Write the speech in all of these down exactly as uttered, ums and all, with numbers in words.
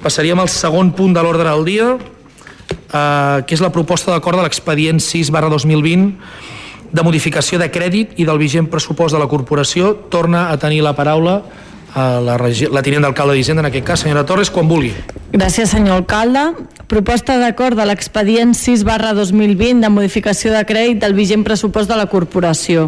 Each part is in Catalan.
passaríem al segon punt de l'ordre del dia, eh, que és la proposta d'acord de l'expedient sis barra dos mil vint de modificació de crèdit i del vigent pressupost de la corporació. Torna a tenir la paraula a la, la tinent d'alcalde d'Hisenda, en aquest cas, senyora Torres, quan vulgui. Gràcies, senyor alcalde. Proposta d'acord de l'expedient sis barra dos mil vint de modificació de crèdit del vigent pressupost de la corporació.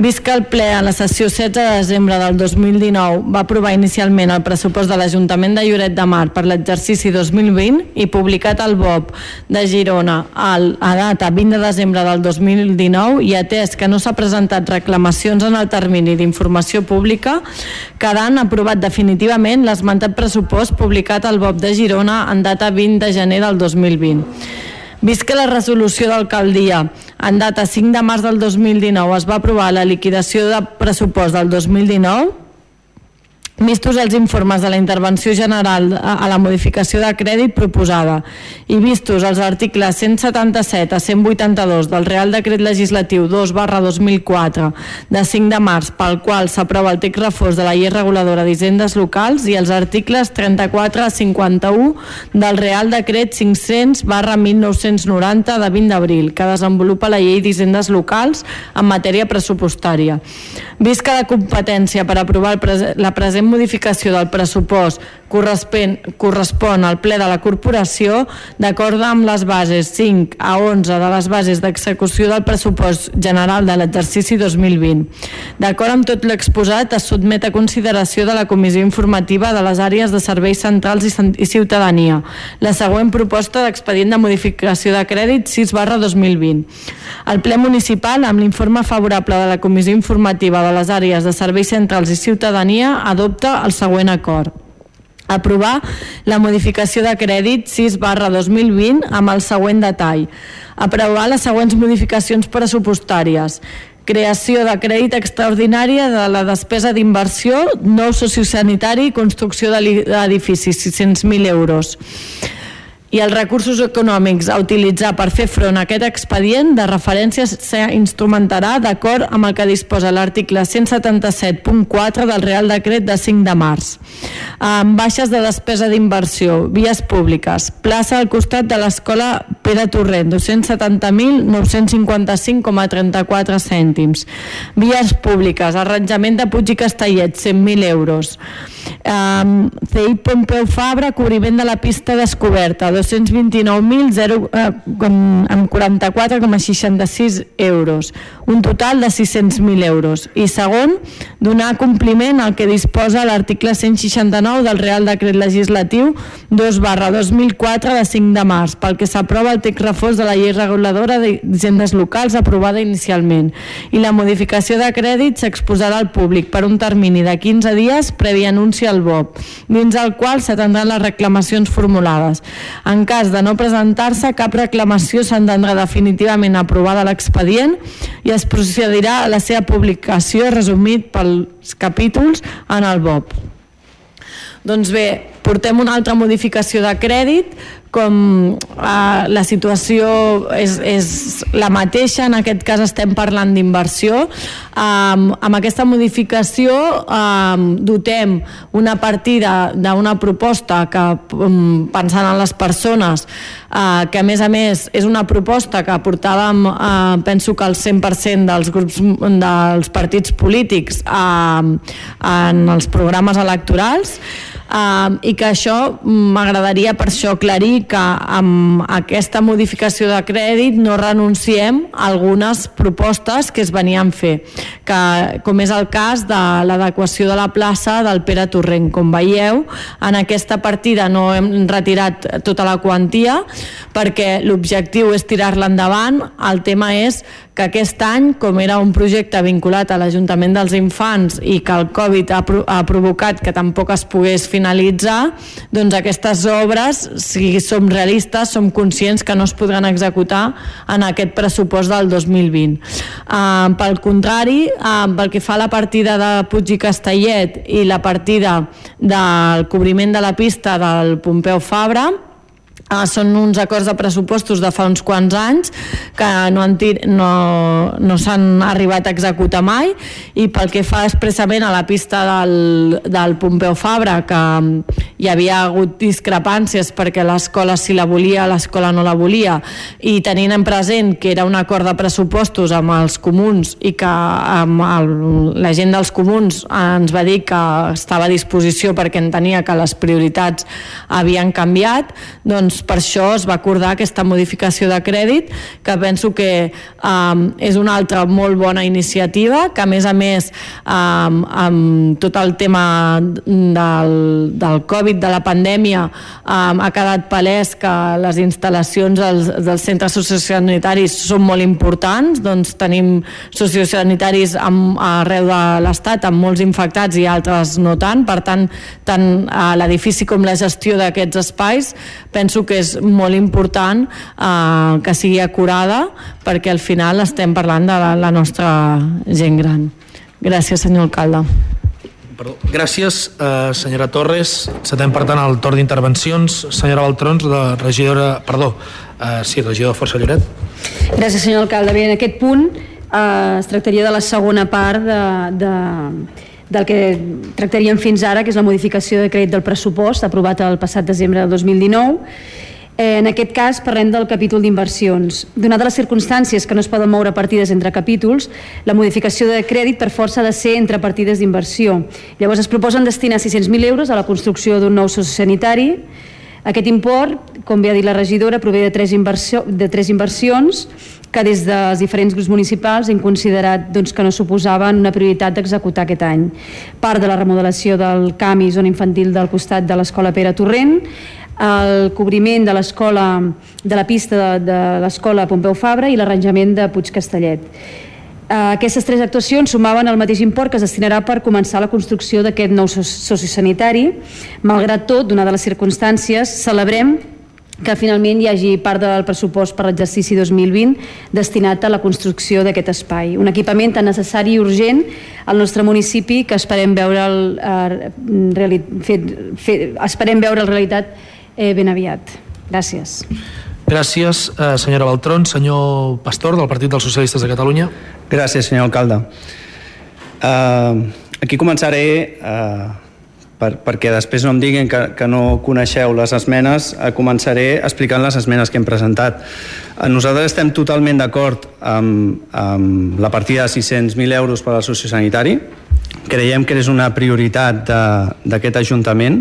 Vist que el ple a la sessió setze de desembre del dos mil dinou va aprovar inicialment el pressupost de l'Ajuntament de Lloret de Mar per l'exercici dos mil vint i publicat al B O P de Girona al, a data vint de desembre del dos mil dinou, i atès que no s'ha presentat reclamacions en el termini d'informació pública, quedant aprovat definitivament l'esmentat pressupost publicat al B O P de Girona en data vint de gener del dos mil vint. Vist que la resolució d'alcaldia en data cinc de març del dos mil dinou es va aprovar la liquidació de pressupost del dos mil dinou, vistos els informes de la intervenció general a la modificació de crèdit proposada i vistos els articles cent setanta-set a cent vuitanta-dos del Real Decret Legislatiu dos barra dos mil quatre de cinc de març, pel qual s'aprova el text refós de la llei reguladora d'hisendes locals, i els articles trenta-quatre a cinquanta-u del Real Decret cinc-cents barra mil nou-cents noranta de vint d'abril, que desenvolupa la llei d'hisendes locals en matèria pressupostària. Vist que la competència per aprovar la present modificació del pressupost correspon, correspon al ple de la corporació, d'acord amb les bases cinc a onze de les bases d'execució del pressupost general de l'exercici dos mil vint. D'acord amb tot l'exposat, es sotmet a consideració de la Comissió Informativa de les Àrees de Serveis Centrals i Ciutadania la següent proposta d'expedient de modificació de crèdit sis barra dos mil vint. El ple municipal, amb l'informe favorable de la Comissió Informativa de les Àrees de Serveis Centrals i Ciutadania, adopta el següent acord. Aprovar la modificació de crèdit sis barra dos mil vint amb el següent detall. Aprovar les següents modificacions pressupostàries. Creació de crèdit extraordinari de la despesa d'inversió, nou sociosanitari i construcció d'edificis, sis-cents mil euros. I els recursos econòmics a utilitzar per fer front a aquest expedient de referència s'instrumentarà d'acord amb el que disposa l'article cent setanta-set punt quatre del Real Decret de cinc de març. Amb baixes de despesa d'inversió, vies públiques, plaça al costat de l'escola Pere Torrent, dos-cents setanta mil nou-cents cinquanta-cinc coma trenta-quatre cèntims. Vies públiques, arranjament de Puig i Castellet, cent mil euros. Um, C I Pompeu Fabra, cobriment de la pista descoberta, dos-cents vint-i-nou mil amb quaranta-quatre coma seixanta-sis euros, un total de sis-cents mil euros. I segon, donar compliment al que disposa l'article cent seixanta-nou del Real Decret Legislatiu dos barra dos mil quatre de cinc de març, pel que s'aprova el text refós de la llei reguladora d'hisendes locals aprovada inicialment, i la modificació de crèdit s'exposarà al públic per un termini de quinze dies previ anunci al B O P, dins el qual s'atendran les reclamacions formulades. En cas de no presentar-se cap reclamació, s'entendrà definitivament aprovada l'expedient i es procedirà a la seva publicació resumit pels capítols en el B O P. Doncs bé, portem una altra modificació de crèdit, com eh, la situació és, és la mateixa, en aquest cas estem parlant d'inversió. Um, amb aquesta modificació um, dotem una partida d'una proposta que, um, pensant en les persones, uh, que a més a més és una proposta que portàvem, uh, penso que el cent per cent dels grups dels partits polítics uh, en els programes electorals, Uh, i que això m'agradaria per això aclarir que amb aquesta modificació de crèdit no renunciem a algunes propostes que es venien fer, que, com és el cas de l'adequació de la plaça del Pere Torrent. Com veieu, en aquesta partida no hem retirat tota la quantia perquè l'objectiu és tirar-la endavant. El tema és que aquest any, com era un projecte vinculat a l'Ajuntament dels Infants i que el Covid ha, pro ha provocat que tampoc es pogués finalitzar, doncs aquestes obres, si som realistes, som conscients que no es podran executar en aquest pressupost del dos mil vint. Uh, pel contrari, uh, pel que fa a la partida de Puig i Castellet i la partida del cobriment de la pista del Pompeu Fabra, Uh, són uns acords de pressupostos de fa uns quants anys que no, han tir no, no s'han arribat a executar mai, i pel que fa expressament a la pista del, del Pompeu Fabra, que hi havia hagut discrepàncies perquè l'escola si la volia, l'escola no la volia, i tenint en present que era un acord de pressupostos amb els comuns i que amb el, la gent dels comuns ens va dir que estava a disposició perquè entenia que les prioritats havien canviat, doncs per això es va acordar aquesta modificació de crèdit, que penso que um, és una altra molt bona iniciativa, que a més a més um, amb tot el tema del, del Covid, de la pandèmia, um, ha quedat palès que les instal·lacions dels, dels centres sociosanitaris són molt importants, doncs tenim sociosanitaris amb, arreu de l'Estat amb molts infectats i altres no tant, per tant, tant a l'edifici com la gestió d'aquests espais penso que és molt important eh, que sigui acurada, perquè al final estem parlant de la, la nostra gent gran. Gràcies, senyor alcalde. Perdó. Gràcies, eh, senyora Torres. Encetem, per tant, el torn d'intervencions. Senyora Baltrons, de regidora... Perdó, eh, sí, regidora de Força Lloret. Gràcies, senyor alcalde. Bé, en aquest punt eh, es tractaria de la segona part de... de del que tractaríem fins ara, que és la modificació de crèdit del pressupost aprovat el passat desembre del dos mil dinou. Eh, en aquest cas parlem del capítol d'inversions. Donades les circumstàncies que no es poden moure partides entre capítols, la modificació de crèdit per força ha de ser entre partides d'inversió. Llavors es proposen destinar sis-cents mil euros a la construcció d'un nou sociosanitari. Aquest import, com bé ha dit la regidora, prové de tres, inversió, de tres inversions que des dels diferents grups municipals hem considerat doncs, que no suposaven una prioritat d'executar aquest any. Part de la remodelació del camp i zona infantil del costat de l'escola Pere Torrent, el cobriment de l'escola de la pista de, de l'escola Pompeu Fabra i l'arranjament de Puig Castellet. Aquestes tres actuacions sumaven el mateix import que es destinarà per començar la construcció d'aquest nou sociosanitari. Malgrat tot, donades les circumstàncies, celebrem que finalment hi hagi part del pressupost per l'exercici dos mil vint destinat a la construcció d'aquest espai. Un equipament tan necessari i urgent al nostre municipi que esperem veure el, eh, fet, fet, esperem veure la realitat eh, ben aviat. Gràcies. Gràcies, eh, senyora Baltrón. Senyor Pastor, del Partit dels Socialistes de Catalunya. Gràcies, senyor alcalde. Uh, aquí començaré... Uh, Per, perquè després no em diguin que, que no coneixeu les esmenes, començaré explicant les esmenes que hem presentat. Nosaltres estem totalment d'acord amb, amb la partida de sis-cents mil euros per al sociosanitari. Creiem que és una prioritat d'aquest Ajuntament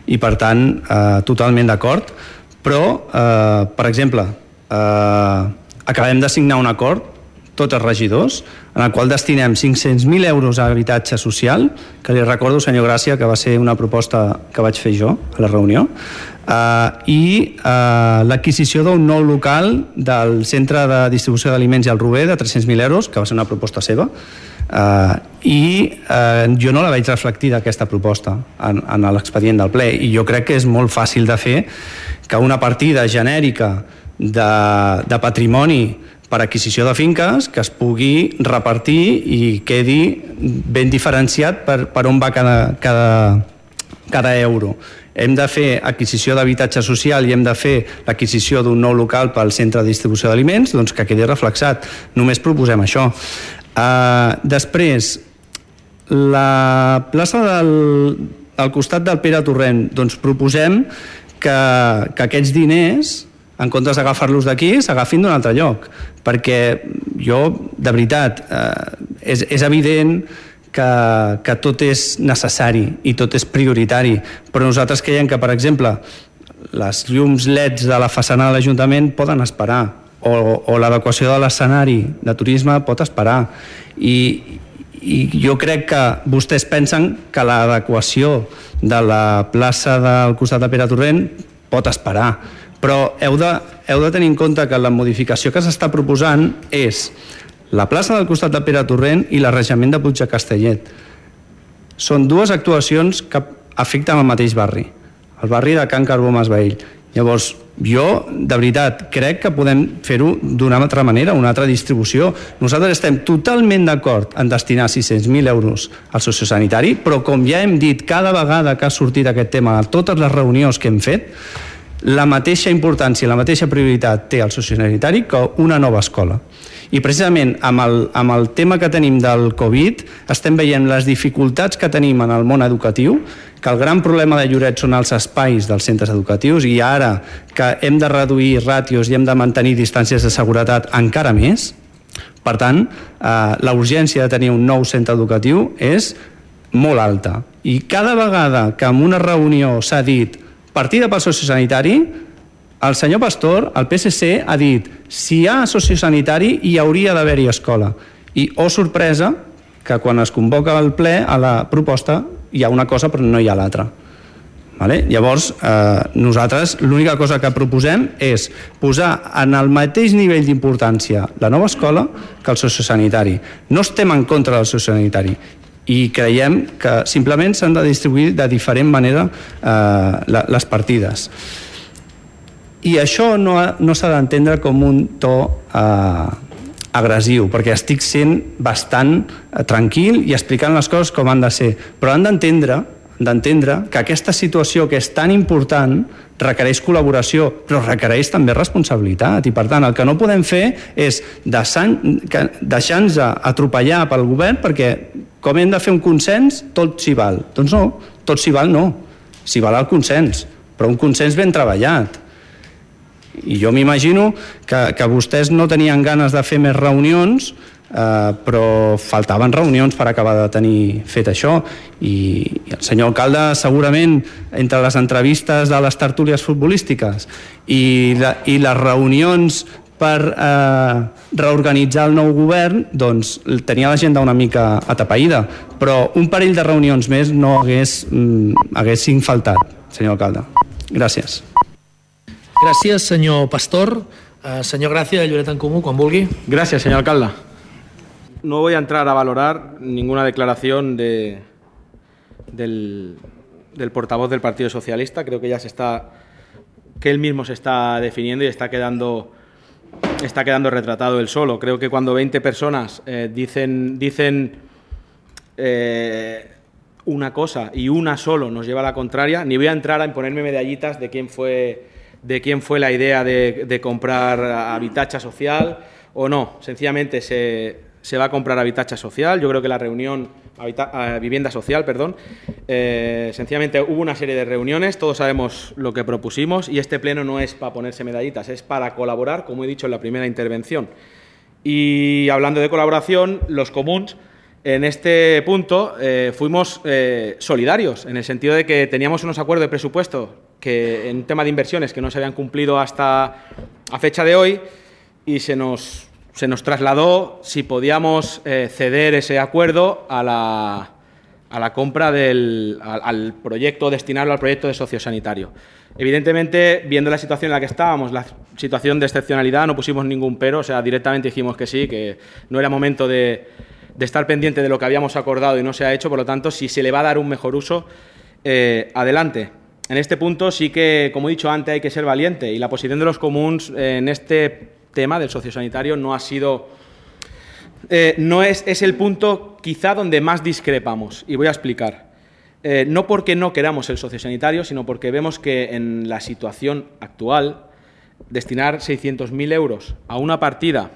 i, per tant, eh, totalment d'acord. Però, eh, per exemple, eh, acabem de signar un acord, tots els regidors, en el qual destinem cinc-cents mil euros a habitatge social, que li recordo, senyor Gràcia, que va ser una proposta que vaig fer jo a la reunió, uh, i uh, l'adquisició d'un nou local del Centre de Distribució d'Aliments i el Rober de tres-cents mil euros, que va ser una proposta seva, uh, i uh, jo no la vaig reflectir d'aquesta proposta en, en l'expedient del ple, i jo crec que és molt fàcil de fer que una partida genèrica de, de patrimoni per adquisició de finques que es pugui repartir i quedi ben diferenciat per, per on va cada, cada, cada euro. Hem de fer adquisició d'habitatge social i hem de fer l'adquisició d'un nou local pel centre de distribució d'aliments, doncs que quedi reflexat. Només proposem això. Uh, després, la plaça del, al costat del Pere Torrent, doncs proposem que, que aquests diners, en comptes d'agafar-los d'aquí, s'agafin d'un altre lloc, perquè jo, de veritat, eh, és, és evident que, que tot és necessari i tot és prioritari, però nosaltres creiem que, per exemple, les llums L E Ds de la façana de l'Ajuntament poden esperar, o, o l'adequació de l'escenari de turisme pot esperar, i, i jo crec que vostès pensen que l'adequació de la plaça del costat de Pere Torrent pot esperar, però heu de, heu de tenir en compte que la modificació que s'està proposant és la plaça del costat de Pere Torrent i l'arranjament de Puig de Castellet. Són dues actuacions que afecten el mateix barri, el barri de Can Carbó Masvehil. Llavors, jo, de veritat, crec que podem fer-ho d'una altra manera, una altra distribució. Nosaltres estem totalment d'acord en destinar sis-cents mil euros al sociosanitari, però com ja hem dit cada vegada que ha sortit aquest tema a totes les reunions que hem fet, la mateixa importància, la mateixa prioritat té el sociosanitari que una nova escola. I precisament amb el, amb el tema que tenim del Covid estem veient les dificultats que tenim en el món educatiu, que el gran problema de Lloret són els espais dels centres educatius, i ara que hem de reduir ràtios i hem de mantenir distàncies de seguretat encara més. Per tant, eh, la urgència de tenir un nou centre educatiu és molt alta. I cada vegada que en una reunió s'ha dit partida pel sociosanitari, el senyor Pastor, el P S C, ha dit si hi ha sociosanitari hi hauria d'haver-hi escola. I, oh sorpresa, que quan es convoca el ple a la proposta hi ha una cosa però no hi ha l'altra. Vale? Llavors, eh, nosaltres l'única cosa que proposem és posar en el mateix nivell d'importància la nova escola que el sociosanitari. No estem en contra del sociosanitari i creiem que simplement s'han de distribuir de diferent manera eh, les partides. I això no, no s'ha d'entendre com un to eh, agressiu, perquè estic sent bastant eh, tranquil i explicant les coses com han de ser, però han d'entendre d'entendre que aquesta situació que és tan important requereix col·laboració, però requereix també responsabilitat, i per tant el que no podem fer és deixar-nos atropellar pel govern perquè com hem de fer un consens tot s'hi val. Doncs no, tot s'hi val no, s'hi val el consens, però un consens ben treballat. I jo m'imagino que, que vostès no tenien ganes de fer més reunions, Uh, però faltaven reunions per acabar de tenir fet això, i, i el senyor alcalde segurament entre les entrevistes de les tertúlies futbolístiques i, la, i les reunions per uh, reorganitzar el nou govern, doncs tenia l'agenda una mica atapeïda, però un parell de reunions més no hagués, mm, haguessin faltat, senyor alcalde. Gràcies. Gràcies, senyor Pastor. Uh, senyor Gràcia, de Lloret en Comú, quan vulgui. Gràcies, senyor alcalde. No voy a entrar a valorar ninguna declaración de, del, del portavoz del Partido Socialista. Creo que ya se está, que él mismo se está definiendo y está quedando, está quedando retratado él solo. Creo que cuando veinte personas eh, dicen, dicen eh, una cosa y una solo nos lleva a la contraria, ni voy a entrar a imponerme medallitas de quién fue, de quién fue la idea de, de comprar habitatge social o no. Sencillamente se... se va a comprar habitatge social. Yo creo que la reunión, habita, vivienda social, perdón, eh, sencillamente hubo una serie de reuniones, todos sabemos lo que propusimos y este pleno no es para ponerse medallitas, es para colaborar, como he dicho en la primera intervención. Y hablando de colaboración, los comuns, en este punto eh, fuimos eh, solidarios, en el sentido de que teníamos unos acuerdos de presupuesto que en tema de inversiones que no se habían cumplido hasta a fecha de hoy y se nos... se nos trasladó si podíamos eh, ceder ese acuerdo a la, a la compra del al, al proyecto, destinarlo al proyecto de sociosanitario. Evidentemente, viendo la situación en la que estábamos, la situación de excepcionalidad, no pusimos ningún pero, o sea, directamente dijimos que sí, que no era momento de, de estar pendiente de lo que habíamos acordado y no se ha hecho, por lo tanto, si se le va a dar un mejor uso, eh, adelante. En este punto sí que, como he dicho antes, hay que ser valiente y la posición de los comuns eh, en este tema del sociosanitario no ha sido, eh, no es, es el punto quizá donde más discrepamos y voy a explicar. Eh, no porque no queramos el sociosanitario, sino porque vemos que en la situación actual destinar seiscientos mil euros a una partida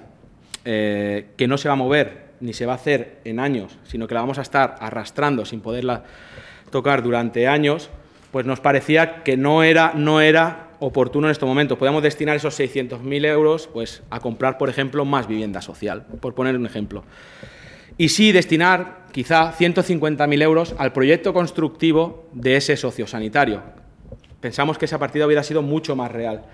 eh, que no se va a mover ni se va a hacer en años, sino que la vamos a estar arrastrando sin poderla tocar durante años, pues nos parecía que no era, no era oportuno en este momento. Podemos destinar esos seiscientos mil euros pues, a comprar, por ejemplo, más vivienda social, por poner un ejemplo. Y sí destinar, quizá, ciento cincuenta mil euros al proyecto constructivo de ese sociosanitario. Pensamos que esa partida hubiera sido mucho más real.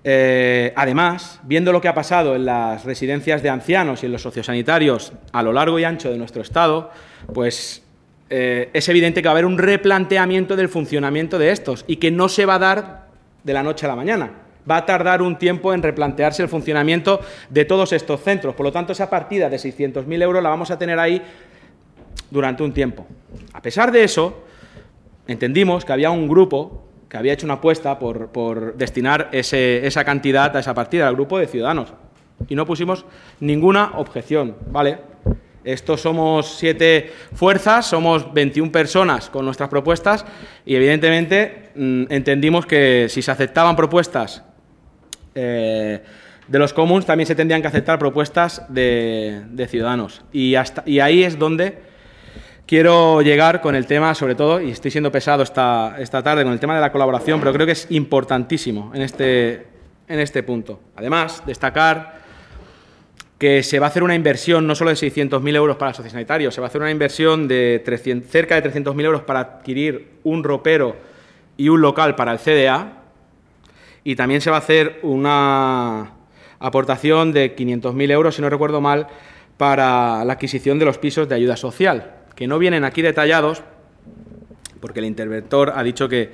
Eh, además, viendo lo que ha pasado en las residencias de ancianos y en los sociosanitarios a lo largo y ancho de nuestro Estado, pues eh, es evidente que va a haber un replanteamiento del funcionamiento de estos y que no se va a dar de la noche a la mañana. Va a tardar un tiempo en replantearse el funcionamiento de todos estos centros. Por lo tanto, esa partida de seiscientos mil euros la vamos a tener ahí durante un tiempo. A pesar de eso, entendimos que había un grupo que había hecho una apuesta por, por destinar ese, esa cantidad a esa partida, al grupo de Ciudadanos. Y no pusimos ninguna objeción, ¿vale? Estos somos siete fuerzas, somos veintiuna personas con nuestras propuestas y evidentemente mmm, entendimos que si se aceptaban propuestas eh, de los comuns, también se tendrían que aceptar propuestas de, de Ciudadanos. Y, hasta, y ahí es donde quiero llegar con el tema, sobre todo, y estoy siendo pesado esta, esta tarde con el tema de la colaboración, pero creo que es importantísimo en este, en este punto. Además, destacar que se va a hacer una inversión no solo de seiscientos mil euros para el sociosanitario, se va a hacer una inversión de trescientos, cerca de trescientos mil euros para adquirir un ropero y un local para el C D A, y también se va a hacer una aportación de quinientos mil euros, si no recuerdo mal, para la adquisición de los pisos de ayuda social, que no vienen aquí detallados, porque el interventor ha dicho que,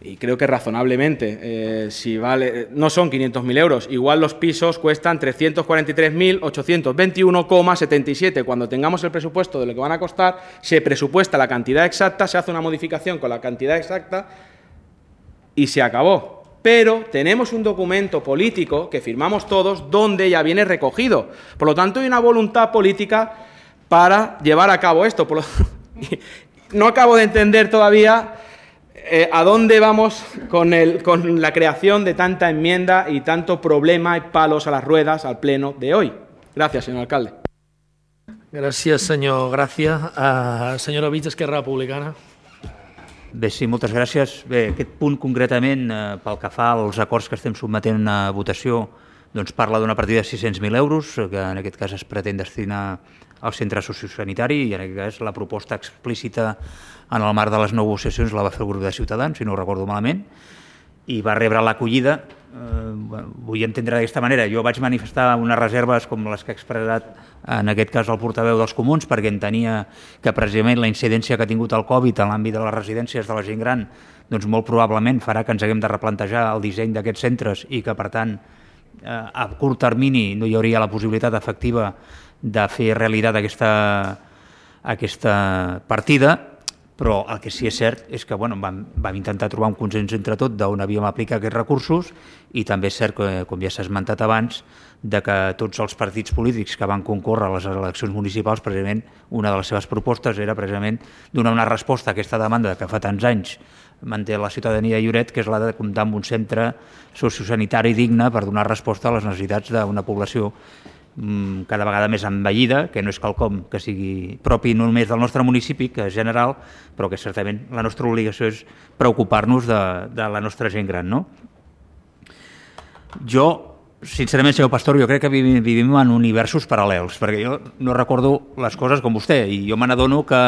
y creo que razonablemente, eh, si vale, no son quinientos mil euros, igual los pisos cuestan trescientos cuarenta y tres mil ochocientos veintiuno coma setenta y siete. Cuando tengamos el presupuesto de lo que van a costar, se presupuesta la cantidad exacta, se hace una modificación con la cantidad exacta y se acabó. Pero tenemos un documento político que firmamos todos donde ya viene recogido. Por lo tanto, hay una voluntad política para llevar a cabo esto. Por lo... No acabo de entender todavía eh, a dónde vamos con, el, con la creación de tanta enmienda y tanto problema y palos a las ruedas al pleno de hoy. Gràcies, senyor alcalde. Gràcies, senyor Gràcia. Uh, senyora Vits, Esquerra Republicana. Bé, sí, moltes gràcies. Bé, aquest punt concretament, eh, pel que fa als acords que estem sotmetent a votació, doncs parla d'una partida de sis-cents mil euros, que en aquest cas es pretén destinar al centre sociosanitari, i en aquest cas la proposta explícita en el marc de les negociacions la va fer el grup de Ciutadans, si no ho recordo malament, i va rebre l'acollida. Eh, vull entendre d'aquesta manera. Jo vaig manifestar unes reserves com les que ha expressat en aquest cas el portaveu dels comuns, perquè entenia que precisament la incidència que ha tingut el Covid en l'àmbit de les residències de la gent gran doncs molt probablement farà que ens haguem de replantejar el disseny d'aquests centres i que, per tant, eh, a curt termini no hi hauria la possibilitat efectiva de fer realitat aquesta, aquesta partida, però el que sí és cert és que bueno, vam, vam intentar trobar un consens entre tot d'on havíem aplicat aquests recursos, i també és cert que, com ja s'ha esmentat abans, de que tots els partits polítics que van concórrer a les eleccions municipals, precisament una de les seves propostes era precisament donar una resposta a aquesta demanda que fa tants anys manté la ciutadania de Lloret, que és la de comptar amb un centre sociosanitari digne per donar resposta a les necessitats d'una població cada vegada més envellida, que no és quelcom que sigui propi només del nostre municipi, que és general, però que certament la nostra obligació és preocupar-nos de, de la nostra gent gran, no? Jo, sincerament, senyor Pastor, jo crec que vivim, vivim en universos paral·lels, perquè jo no recordo les coses com vostè, i jo me n'adono que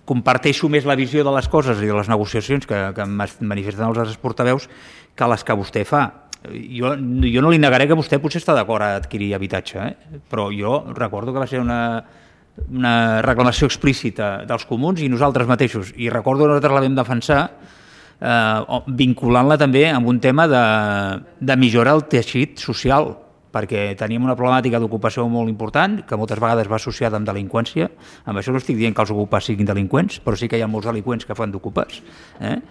comparteixo més la visió de les coses i de les negociacions que, que manifesten els altres portaveus que les que vostè fa. Jo, jo no li negaré que vostè potser està d'acord a adquirir habitatge, eh? Però jo recordo que va ser una, una reclamació explícita dels comuns i nosaltres mateixos, i recordo que nosaltres la vam defensar eh, vinculant-la també amb un tema de, de millorar el teixit social, perquè teníem una problemàtica d'ocupació molt important, que moltes vegades va associada amb delinqüència. Amb això no estic dient que els ocupats siguin delinqüents, però sí que hi ha molts delinqüents que fan d'ocupats, eh?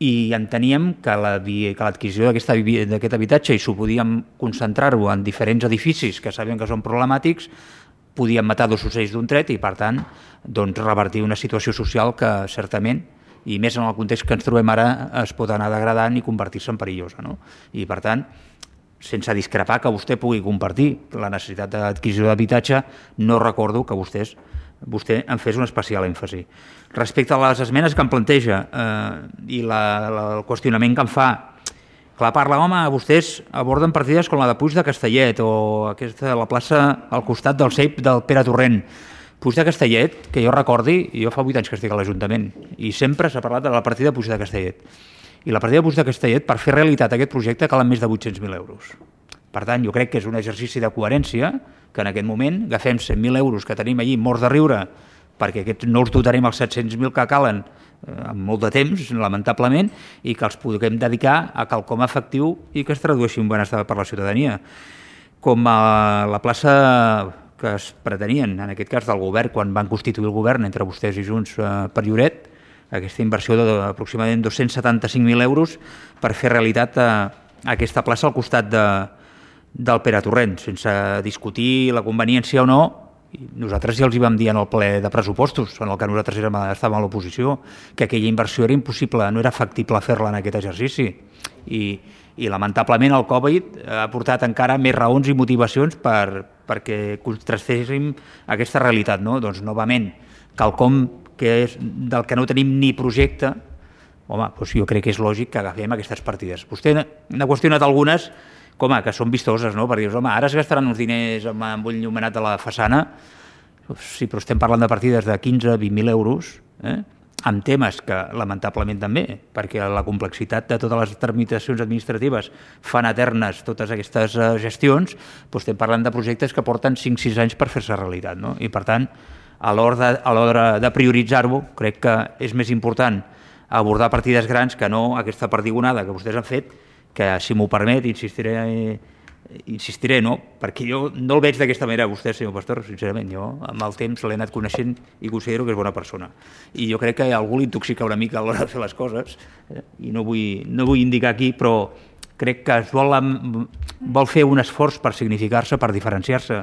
I enteníem que l'adquisició d'aquest habitatge, i s'ho podíem concentrar-ho en diferents edificis que sabíem que són problemàtics, podíem matar dos ocells d'un tret i, per tant, doncs, revertir una situació social que certament, i més en el context que ens trobem ara, es pot anar degradant i convertir-se en perillosa, no? I, per tant, sense discrepar que vostè pugui compartir la necessitat d'adquisició d'habitatge, no recordo que vostès vostè en fes un especial èmfasi. Respecte a les esmenes que em planteja eh, i la, la, el qüestionament que em fa, clar, parla, home, vostès aborden partides com la de Puig de Castellet o aquesta, la plaça al costat del C E I P del Pere Torrent. Puig de Castellet, que jo recordi, jo fa vuit anys que estic a l'Ajuntament, i sempre s'ha parlat de la partida de Puig de Castellet. I la partida de Puig de Castellet, per fer realitat aquest projecte, calen més de vuit-cents mil euros. Per tant, jo crec que és un exercici de coherència que en aquest moment agafem cent mil euros que tenim allí morts de riure, perquè aquests no els dotarem els set-cents mil que calen eh, en molt de temps, lamentablement, i que els puguem dedicar a quelcom efectiu i que es tradueixi en benestar per la ciutadania. Com a la plaça que es pretenien, en aquest cas del govern, quan van constituir el govern entre vostès i Junts eh, per Lloret, aquesta inversió d'aproximadament dos-cents setanta-cinc mil euros per fer realitat eh, aquesta plaça al costat de del Pere Torrent, sense discutir la conveniència o no. Nosaltres ja els hi vam dir en el ple de pressupostos, en el que nosaltres érem, estàvem a l'oposició, que aquella inversió era impossible, no era factible fer-la en aquest exercici. I, i lamentablement el Covid ha portat encara més raons i motivacions per, perquè contrastéssim aquesta realitat. No? Doncs, novament, quelcom que és, del que no tenim ni projecte, home, doncs jo crec que és lògic que agafem aquestes partides. Vostè n'ha qüestionat algunes com a, que són vistoses, no? Per dir, home, ara es gastaran uns diners amb, amb un llumenat de la façana. Sí, però estem parlant de partides de quinze a vint mil euros, eh? Amb temes que, lamentablement també, perquè la complexitat de totes les tramitacions administratives fan eternes totes aquestes uh, gestions, doncs estem parlant de projectes que porten cinc sis anys per fer-se realitat, no? I, per tant, a l'hora de, a l'hora de prioritzar-ho, crec que és més important abordar partides grans que no aquesta perdigonada que vostès han fet, que, si m'ho permet, insistiré, insistiré, no? Perquè jo no el veig d'aquesta manera, vostè, senyor Pastor, sincerament. Jo, amb el temps, l'he anat coneixent i considero que és bona persona. I jo crec que algú l'intoxica una mica a l'hora de fer les coses, eh? I no vull, no vull indicar aquí, però crec que es vol, vol fer un esforç per significar-se, per diferenciar-se,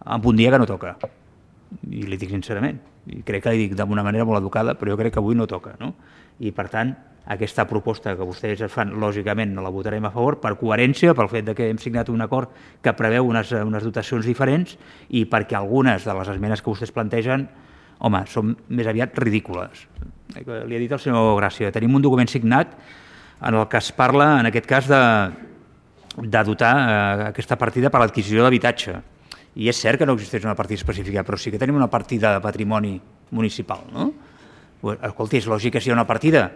en un dia que no toca. I li dic sincerament. I crec que li dic d'una manera molt educada, però jo crec que avui no toca, no? I, per tant, aquesta proposta que vostès fan, lògicament no la votarem a favor per coherència, pel fet de que hem signat un acord que preveu unes, unes dotacions diferents i perquè algunes de les esmenes que vostès plantegen, home, són més aviat ridícules. Li ha dit el senyor Gràcia, tenim un document signat en el que es parla, en aquest cas, de, de dotar eh, aquesta partida per l'adquisició d'habitatge. I és cert que no existeix una partida específica, però sí que tenim una partida de patrimoni municipal, no? Escolti, és lògic que si hi ha una partida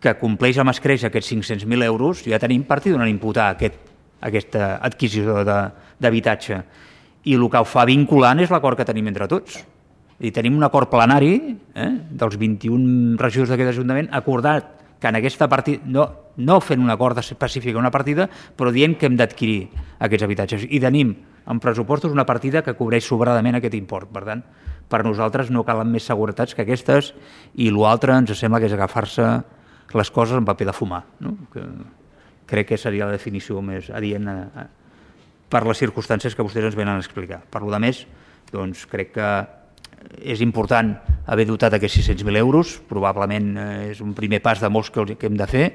que compleix amb escreix aquests cinc-cents mil euros, ja tenim partida on imputar aquest, aquesta adquisició d'habitatge. I el que ho fa vinculant és l'acord que tenim entre tots. I tenim un acord plenari eh, dels vint-i-un regidors d'aquest Ajuntament acordat que en aquesta partida, no, no fent un acord específic a una partida, però dient que hem d'adquirir aquests habitatges. I tenim en pressupostos una partida que cobreix sobradament aquest import. Per tant, per nosaltres no calen més seguretats que aquestes i l'altre ens sembla que és agafar-se les coses en paper de fumar. No? Que crec que seria la definició més adient a, a, per les circumstàncies que vostès ens venen a explicar. Per lo de més, doncs, crec que és important haver dotat aquests sis-cents mil euros, probablement és un primer pas de molts que, que hem de fer,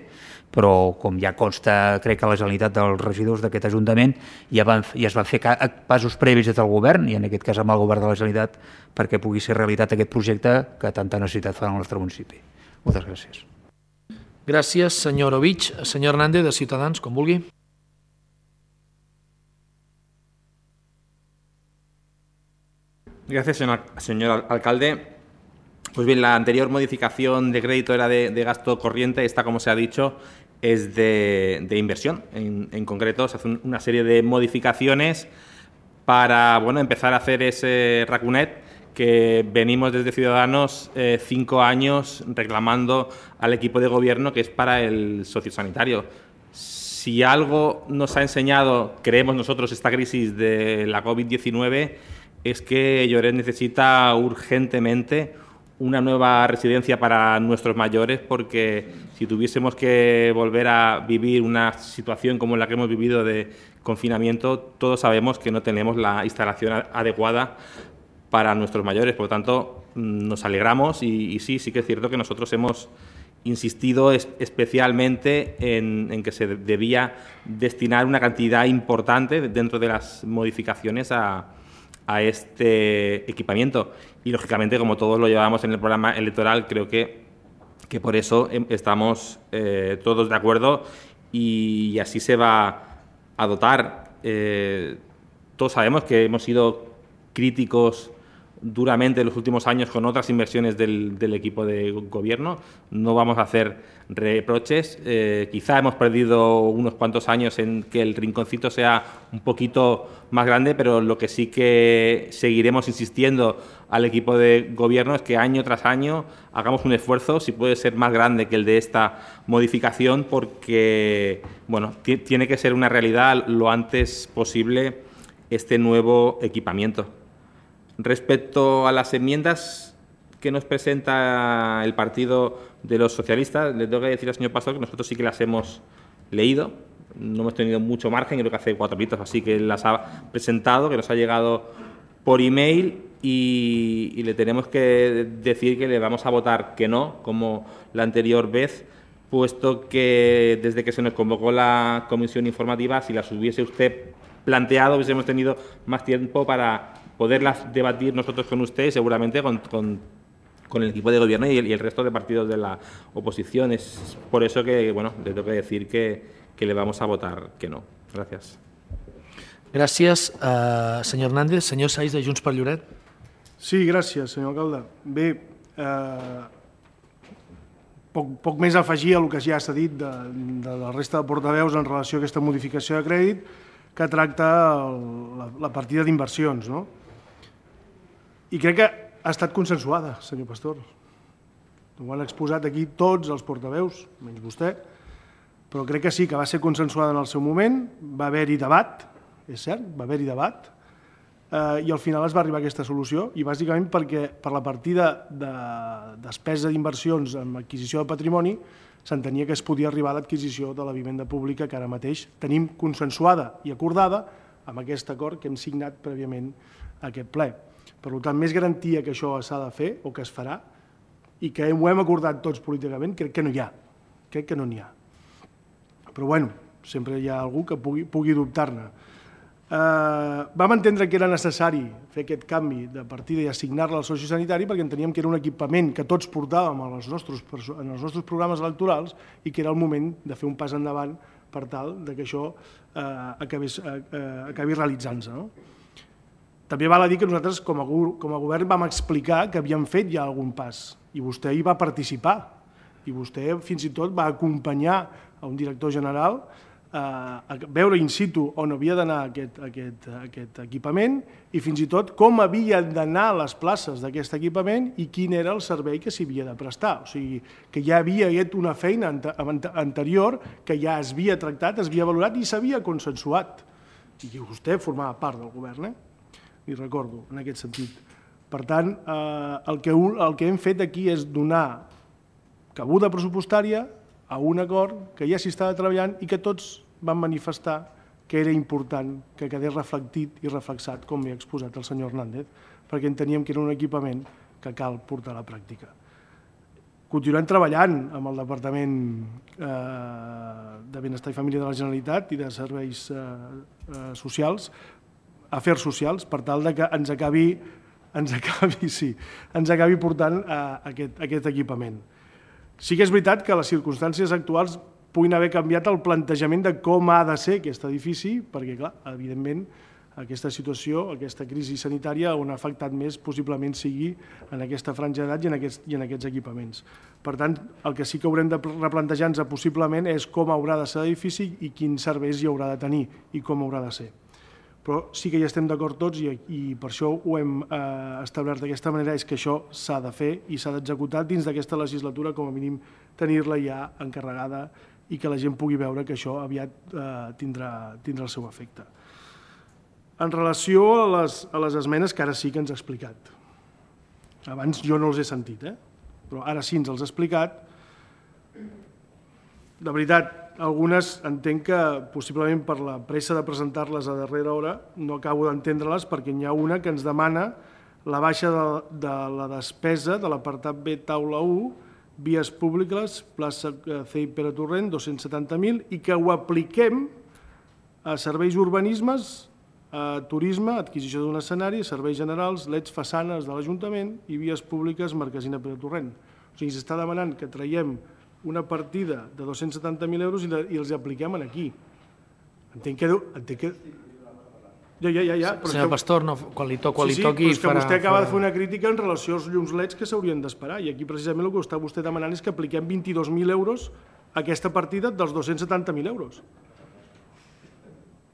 però com ja consta, crec que la Generalitat dels regidors d'aquest Ajuntament ja, van, ja es van fer passos previs des del govern, i en aquest cas amb el govern de la Generalitat, perquè pugui ser realitat aquest projecte que tanta necessitat fa al nostre municipi. Moltes gràcies. Gràcies, senyor Ovich. Senyor Hernández, de Ciutadans, com vulgui. Gracias, señor, señor alcalde. Pues bien, la anterior modificación de crédito era de, de gasto corriente, esta, como se ha dicho, es de, de inversión. En, en concreto, se hace una serie de modificaciones para, bueno, empezar a hacer ese racunet que venimos desde Ciudadanos eh, cinco años reclamando al equipo de gobierno, que es para el sociosanitario. Si algo nos ha enseñado, creemos nosotros, esta crisis de la COVID diecinueve, es que Lloret necesita urgentemente una nueva residencia para nuestros mayores, porque si tuviésemos que volver a vivir una situación como la que hemos vivido de confinamiento, todos sabemos que no tenemos la instalación adecuada para nuestros mayores. Por lo tanto, nos alegramos y, y sí, sí que es cierto que nosotros hemos insistido es, especialmente en, en que se debía destinar una cantidad importante dentro de las modificaciones a, a este equipamiento. Y, lógicamente, como todos lo llevamos en el programa electoral, creo que, que por eso estamos eh, todos de acuerdo y, y así se va a dotar. Eh, todos sabemos que hemos sido críticos duramente en los últimos años con otras inversiones del, del equipo de gobierno. No vamos a hacer reproches. Eh, quizá hemos perdido unos cuantos años en que el rinconcito sea un poquito más grande, pero lo que sí que seguiremos insistiendo al equipo de gobierno es que año tras año hagamos un esfuerzo, si puede ser más grande que el de esta modificación, porque bueno, tiene que ser una realidad lo antes posible este nuevo equipamiento. Respecto a las enmiendas que nos presenta el Partido de los Socialistas, le tengo que decir al señor Pastor que nosotros sí que las hemos leído. No hemos tenido mucho margen, creo que hace cuatro horitas así que las ha presentado, que nos ha llegado por email y, y le tenemos que decir que le vamos a votar que no, como la anterior vez, puesto que desde que se nos convocó la comisión informativa, si las hubiese usted planteado, hubiésemos tenido más tiempo para poderlas debatir nosotros con usted, seguramente con, con, con el equipo de gobierno y el, y el resto de partidos de la oposición. Es por eso que, bueno, le tengo que decir que que le vamos a votar que no. Gràcies. Gràcies, uh, senyor Hernández. Senyor Saiz, de Junts per Lloret. Sí, gràcies, senyor alcalde. Bé, eh, poc, poc més a afegir a el que ja s'ha dit de, de la resta de portaveus en relació a aquesta modificació de crèdit que tracta el, la, la partida d'inversions, no? I crec que ha estat consensuada, senyor Pastor. Ho han exposat aquí tots els portaveus, menys vostè, però crec que sí, que va ser consensuada en el seu moment, va haver-hi debat, és cert, va haver-hi debat, eh, i al final es va arribar a aquesta solució, i bàsicament perquè per la partida de despesa d'inversions en adquisició de patrimoni s'entenia que es podia arribar a l'adquisició de la vivenda pública que ara mateix tenim consensuada i acordada amb aquest acord que hem signat prèviament a aquest ple. Per tant, més garantia que això s'ha de fer o que es farà i que ho hem acordat tots políticament, crec que no hi ha, crec que no n'hi ha. Però, bueno, sempre hi ha algú que pugui, pugui dubtar-ne. Eh, vam entendre que era necessari fer aquest canvi de partida i assignar-la al sociosanitari perquè enteníem que era un equipament que tots portàvem en els nostres, en els nostres programes electorals i que era el moment de fer un pas endavant per tal que això eh, acabés, eh, acabi realitzant-se. No? També val a dir que nosaltres, com a, com a govern, vam explicar que havíem fet ja algun pas i vostè hi va participar i vostè fins i tot va acompanyar a un director general eh, a veure in situ on havia d'anar aquest, aquest, aquest equipament i fins i tot com havien d'anar les places d'aquest equipament i quin era el servei que s'hi havia de prestar. O sigui, que ja havia fet una feina anterior que ja es havia tractat, es havia valorat i s'havia consensuat. I vostè formava part del govern, eh? Li recordo, en aquest sentit. Per tant, eh, el, que, el que hem fet aquí és donar cabuda pressupostària a un acord que ja s'hi estava treballant i que tots van manifestar que era important que quedés reflectit i reflexat, com he exposat el senyor Hernández, perquè enteníem que era un equipament que cal portar a la pràctica. Continuem treballant amb el Departament eh, de Benestar i Família de la Generalitat i de Serveis eh, eh, Socials, Afers Socials, per tal que ens acabi, ens acabi, sí, ens acabi portant eh, aquest, aquest equipament. Sí que és veritat que les circumstàncies actuals puguin haver canviat el plantejament de com ha de ser aquest edifici, perquè, clar, evidentment, aquesta situació, aquesta crisi sanitària, on ha afectat més, possiblement sigui en aquesta franja d'edat i, en aquests, i en aquests equipaments. Per tant, el que sí que haurem de replantejar-nos possiblement és com haurà de ser l'edifici i quins serveis hi haurà de tenir i com haurà de ser. Però sí que hi estem d'acord tots i, i per això ho hem eh, establert d'aquesta manera, és que això s'ha de fer i s'ha d'executar dins d'aquesta legislatura, com a mínim tenir-la ja encarregada i que la gent pugui veure que això aviat eh, tindrà, tindrà el seu efecte. En relació a les, a les esmenes que ara sí que ens ha explicat. Abans jo no els he sentit, eh? Però ara sí ens els ha explicat. De veritat, algunes entenc que possiblement per la pressa de presentar-les a darrera hora no acabo d'entendre-les perquè n'hi ha una que ens demana la baixa de, de la despesa de l'apartat B taula u, vies públiques, plaça C I Pere Torrent, dos-cents setanta mil, i que ho apliquem a serveis urbanismes, a turisme, adquisició d'un escenari, serveis generals, leds façanes de l'Ajuntament i vies públiques, Marquesina Pere Torrent. O sigui, s'està demanant que traiem una partida de dos-cents setanta mil euros i, la, i els apliquem aquí. Entenc que... Entenc que... Ja, ja, ja, ja. Però senyor Pastor, no, quan li, to, quan sí, sí, li toqui... però és que farà, vostè acaba farà... de fer una crítica en relació als llums leds que s'haurien d'esperar i aquí precisament el que està vostè demanant és que apliquem vint-i-dos mil euros a aquesta partida dels dos-cents setanta mil euros.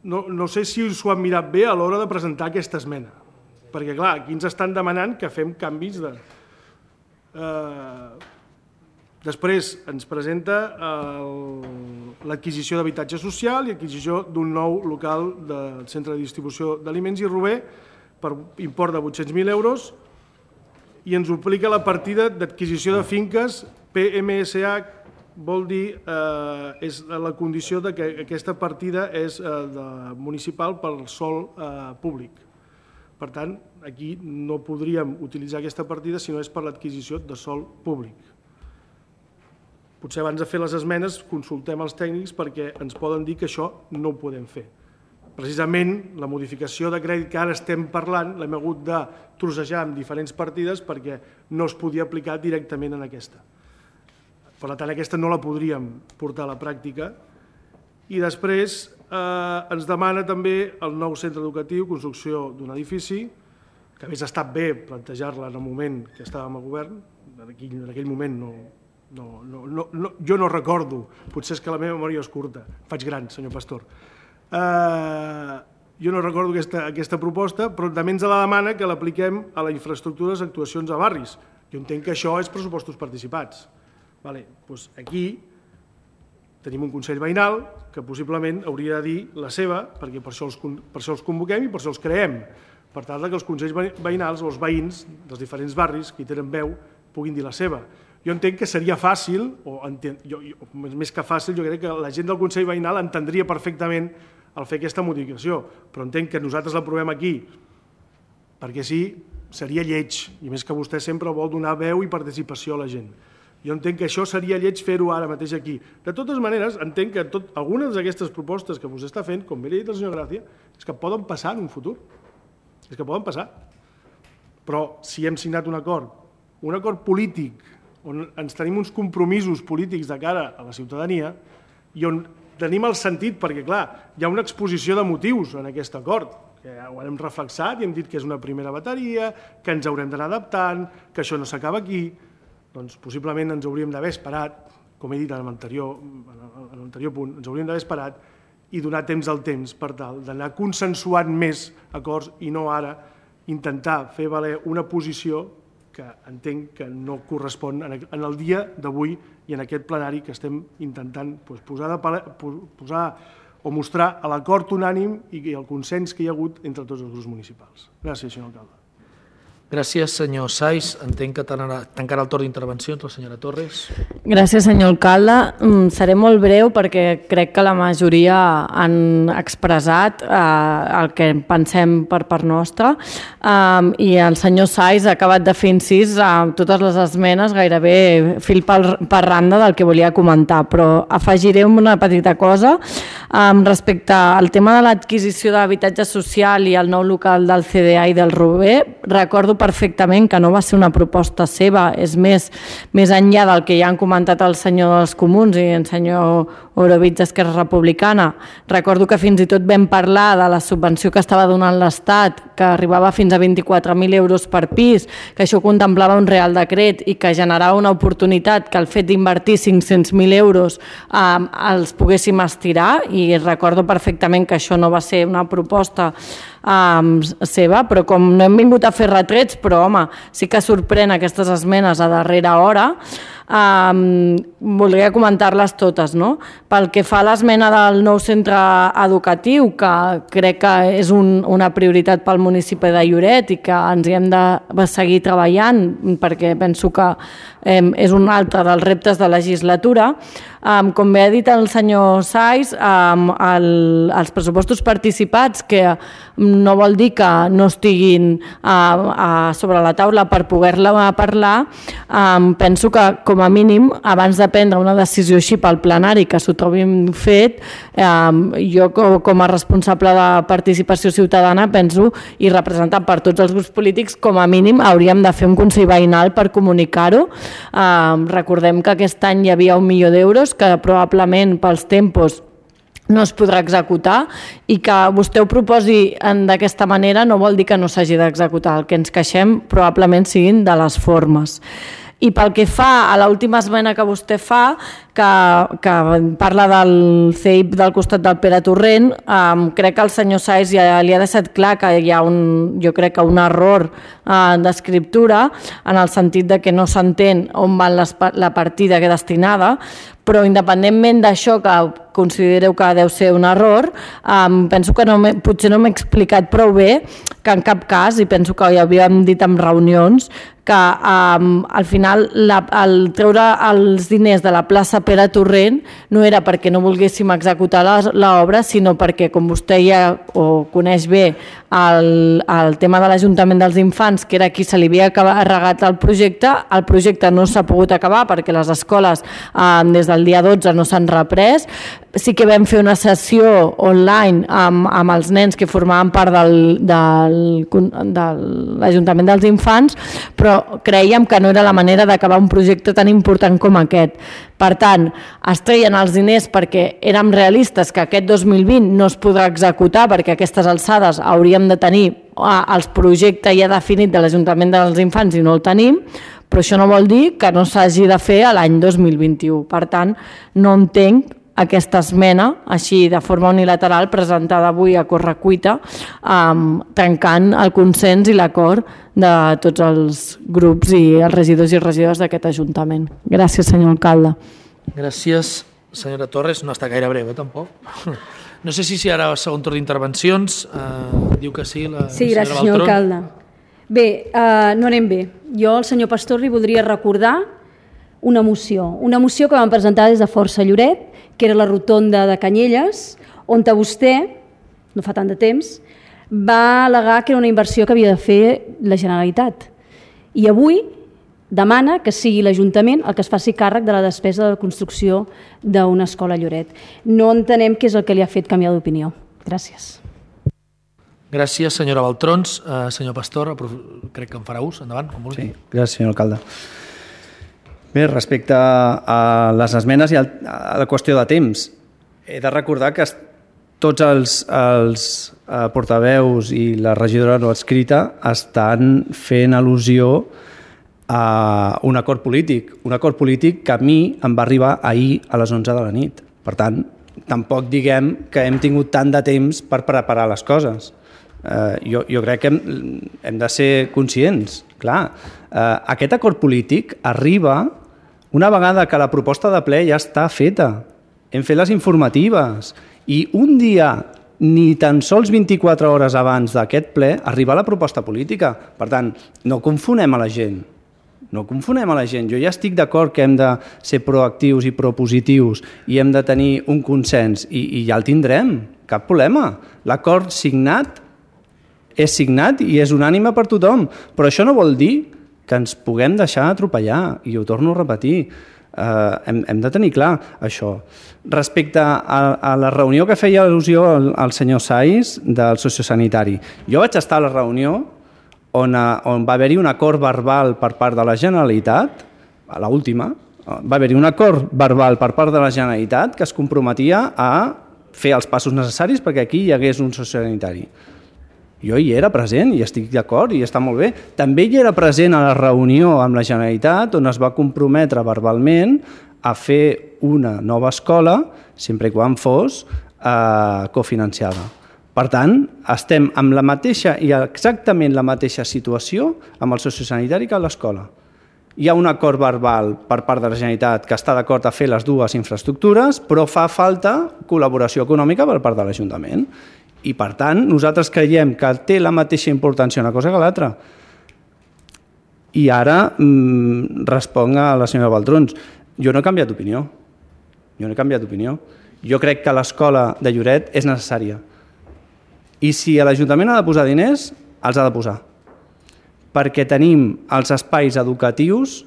No, no sé si s'ho han mirat bé a l'hora de presentar aquesta esmena, perquè clar, aquí ens estan demanant que fem canvis de... Eh... Després ens presenta l'adquisició d'habitatge social i adquisició d'un nou local del centre de distribució d'aliments i Rober per import de vuit-cents mil euros i ens aplica la partida d'adquisició de finques P M S H vol dir, eh, és la condició de que aquesta partida és eh, de municipal pel sòl eh, públic. Per tant, aquí no podríem utilitzar aquesta partida si no és per l'adquisició de sòl públic. Potser abans de fer les esmenes consultem els tècnics perquè ens poden dir que això no ho podem fer. Precisament la modificació de crèdit que ara estem parlant l'hem hagut de trossejar en diferents partides perquè no es podia aplicar directament en aquesta. Per tant, aquesta no la podríem portar a la pràctica. I després eh, ens demana també el nou centre educatiu, construcció d'un edifici, que hauria estat bé plantejar-la en el moment que estàvem a govern. En aquell, en aquell moment no, no, no, no, no, jo no recordo, potser és que la meva memòria és curta, faig gran, senyor Pastor. Uh, jo no recordo aquesta, aquesta proposta, però també ens la demana que l'apliquem a les infraestructures, actuacions a barris. Jo entenc que això és pressupostos participats. Vale, doncs aquí tenim un Consell Veïnal que possiblement hauria de dir la seva, perquè per això els, per això els convoquem i per això els creem, per tal que els Consells Veïnals o els veïns dels diferents barris que hi tenen veu puguin dir la seva. Jo entenc que seria fàcil, o enten, jo, jo, més que fàcil, jo crec que la gent del Consell Veïnal entendria perfectament el fer aquesta modificació, però entenc que nosaltres l'aprovem aquí, perquè sí, seria lleig, i més que vostè sempre vol donar veu i participació a la gent. Jo entenc que això seria lleig fer-ho ara mateix aquí. De totes maneres, entenc que tot, algunes d'aquestes propostes que vostè està fent, com bé li ha dit el senyor Gràcia, és que poden passar en un futur. És que poden passar. Però si hem signat un acord, un acord polític, on ens tenim uns compromisos polítics de cara a la ciutadania i on tenim el sentit, perquè clar, hi ha una exposició de motius en aquest acord, que ho hem reflexat i hem dit que és una primera bateria, que ens haurem d'anar adaptant, que això no s'acaba aquí, doncs possiblement ens hauríem d'haver esperat, com he dit en l'anterior en l'anterior punt, ens hauríem d'haver esperat i donar temps al temps per tal d'anar consensuant més acords i no ara intentar fer valer una posició que entenc que no correspon en el dia d'avui i en aquest plenari que estem intentant posar, de, posar o mostrar l'acord unànim i el consens que hi ha hagut entre tots els grups municipals. Gràcies, senyor alcalde. Gràcies, senyor Sais. Entenc que tancarà el torn d'intervencions la senyora Torres. Gràcies, senyor alcalde. Seré molt breu perquè crec que la majoria han expressat eh, el que pensem per part nostra eh, i el senyor Sais ha acabat de fer incís a totes les esmenes, gairebé fil per, per randa del que volia comentar, però afegiré una petita cosa eh, respecte al tema de l'adquisició d'habitatge social i el nou local del C D A i del Rober. Recordo perfectament que no va ser una proposta seva, és més, més enllà del que ja han comentat el senyor dels Comuns i el senyor Orovitz d'Esquerra Republicana. Recordo que fins i tot vam parlar de la subvenció que estava donant l'Estat, que arribava fins a vint-i-quatre mil euros per pis, que això contemplava un real decret i que generava una oportunitat que el fet d'invertir cinc-cents mil euros eh, els poguéssim estirar, i recordo perfectament que això no va ser una proposta Um, seva, però com no hem vingut a fer retrets, però home, sí que sorprèn aquestes esmenes a darrera hora, um, voldria comentar-les totes, no? Pel que fa a l'esmena del nou centre educatiu, que crec que és un, una prioritat pel municipi de Lloret i que ens hi hem de seguir treballant perquè penso que um, és un altre dels reptes de legislatura. Um, com bé ha dit el senyor Sais, um, el, els pressupostos participats, que no vol dir que no estiguin uh, uh, sobre la taula per poder-la parlar, um, penso que com a mínim abans de prendre una decisió així pel plenari que s'ho trobin fet, um, jo com a responsable de participació ciutadana penso, i representat per tots els grups polítics, com a mínim hauríem de fer un consell veïnal per comunicar-ho. Um, recordem que aquest any hi havia un milió d'euros que probablement pels tempos no es podrà executar, i que vostè ho proposi d'aquesta manera no vol dir que no s'hagi d'executar. El que ens queixem probablement siguin de les formes. I pel que fa a l'última esmena que vostè fa, que, que parla del C I P del costat del Pere Torrent, eh, crec que el senyor Sais ja li ha deixat clar que hi ha un, jo crec que un error eh, d'escriptura, en el sentit de que no s'entén on va les, la partida que destinada, però independentment d'això, que considereu que deu ser un error, um, penso que no potser no m'he explicat prou bé, que en cap cas, i penso que ja havíem dit en reunions, que um, al final la, el treure els diners de la plaça Pere Torrent no era perquè no volguéssim executar l'obra, sinó perquè, com vostè ja o coneix bé, el, el tema de l'Ajuntament dels Infants, que era qui se li havia regat el projecte, el projecte no s'ha pogut acabar perquè les escoles eh, des del dia dotze no s'han reprès. Sí que vam fer una sessió online amb, amb els nens que formaven part del, del, de l'Ajuntament dels Infants, però creiem que no era la manera d'acabar un projecte tan important com aquest. Per tant, es treien els diners perquè érem realistes que aquest dos mil vint no es podrà executar perquè a aquestes alçades hauríem de tenir el projecte ja definit de l'Ajuntament dels Infants i no el tenim, però això no vol dir que no s'hagi de fer l'any dos mil vint-i-u. Per tant, no entenc aquesta esmena, així de forma unilateral, presentada avui a correcuita, um, trencant el consens i l'acord de tots els grups i els regidors i regidors d'aquest Ajuntament. Gràcies, senyor alcalde. Gràcies, senyora Torres. No està gaire breu, eh, tampoc. No sé si si ara segon torn d'intervencions. Uh, diu que sí, la sí, senyora gràcies, senyor Baltrón. alcalde. Bé, uh, no anem bé. Jo al senyor Pastor li voldria recordar una moció. Una moció que vam presentar des de Força Lloret, que era la rotonda de Canyelles, on vostè, no fa tant de temps, va al·legar que era una inversió que havia de fer la Generalitat. I avui demana que sigui l'Ajuntament el que es faci càrrec de la despesa de la construcció d'una escola a Lloret. No entenem què és el que li ha fet canviar d'opinió. Gràcies. Gràcies, senyora Baltrons. Uh, senyor Pastor, crec que en farà ús. Endavant, com vulgui. Sí, gràcies, senyor alcalde. Bé, respecte a les esmenes i a la qüestió de temps, he de recordar que tots els, els portaveus i la regidora no adscrita estan fent al·lusió a un acord polític, un acord polític que a mi em va arribar ahir a les onze de la nit. Per tant, tampoc diguem que hem tingut tant de temps per preparar les coses. Eh, jo, jo crec que hem, hem de ser conscients. Clar, eh, aquest acord polític arriba una vegada que la proposta de ple ja està feta. Hem fet les informatives i un dia, ni tan sols vint-i-quatre hores abans d'aquest ple, arriba la proposta política. Per tant, no confonem a la gent. No confonem a la gent. Jo ja estic d'acord que hem de ser proactius i propositius i hem de tenir un consens i, i ja el tindrem, cap problema. L'acord signat és signat i és unànime per tothom, però això no vol dir que ens puguem deixar atropellar, i ho torno a repetir. Uh, hem, hem de tenir clar això. Respecte a, a la reunió que feia al·lusió el, el senyor Saiz del sociosanitari, jo vaig estar a la reunió on, a, on va haver-hi un acord verbal per part de la Generalitat, a l'última, va haver-hi un acord verbal per part de la Generalitat que es comprometia a fer els passos necessaris perquè aquí hi hagués un sociosanitari. Jo hi era present i estic d'acord i està molt bé. També hi era present a la reunió amb la Generalitat on es va comprometre verbalment a fer una nova escola sempre i quan fos eh, cofinanciada. Per tant, estem amb la mateixa i exactament la mateixa situació amb el sociosanitari que a l'escola. Hi ha un acord verbal per part de la Generalitat que està d'acord a fer les dues infraestructures, però fa falta col·laboració econòmica per part de l'Ajuntament. I, per tant, nosaltres creiem que té la mateixa importància una cosa que l'altra. I ara mmm, responc a la senyora Baltrons. Jo no he canviat d'opinió. Jo no he canviat d'opinió. Jo crec que l'escola de Lloret és necessària. I si l'Ajuntament ha de posar diners, els ha de posar. Perquè tenim els espais educatius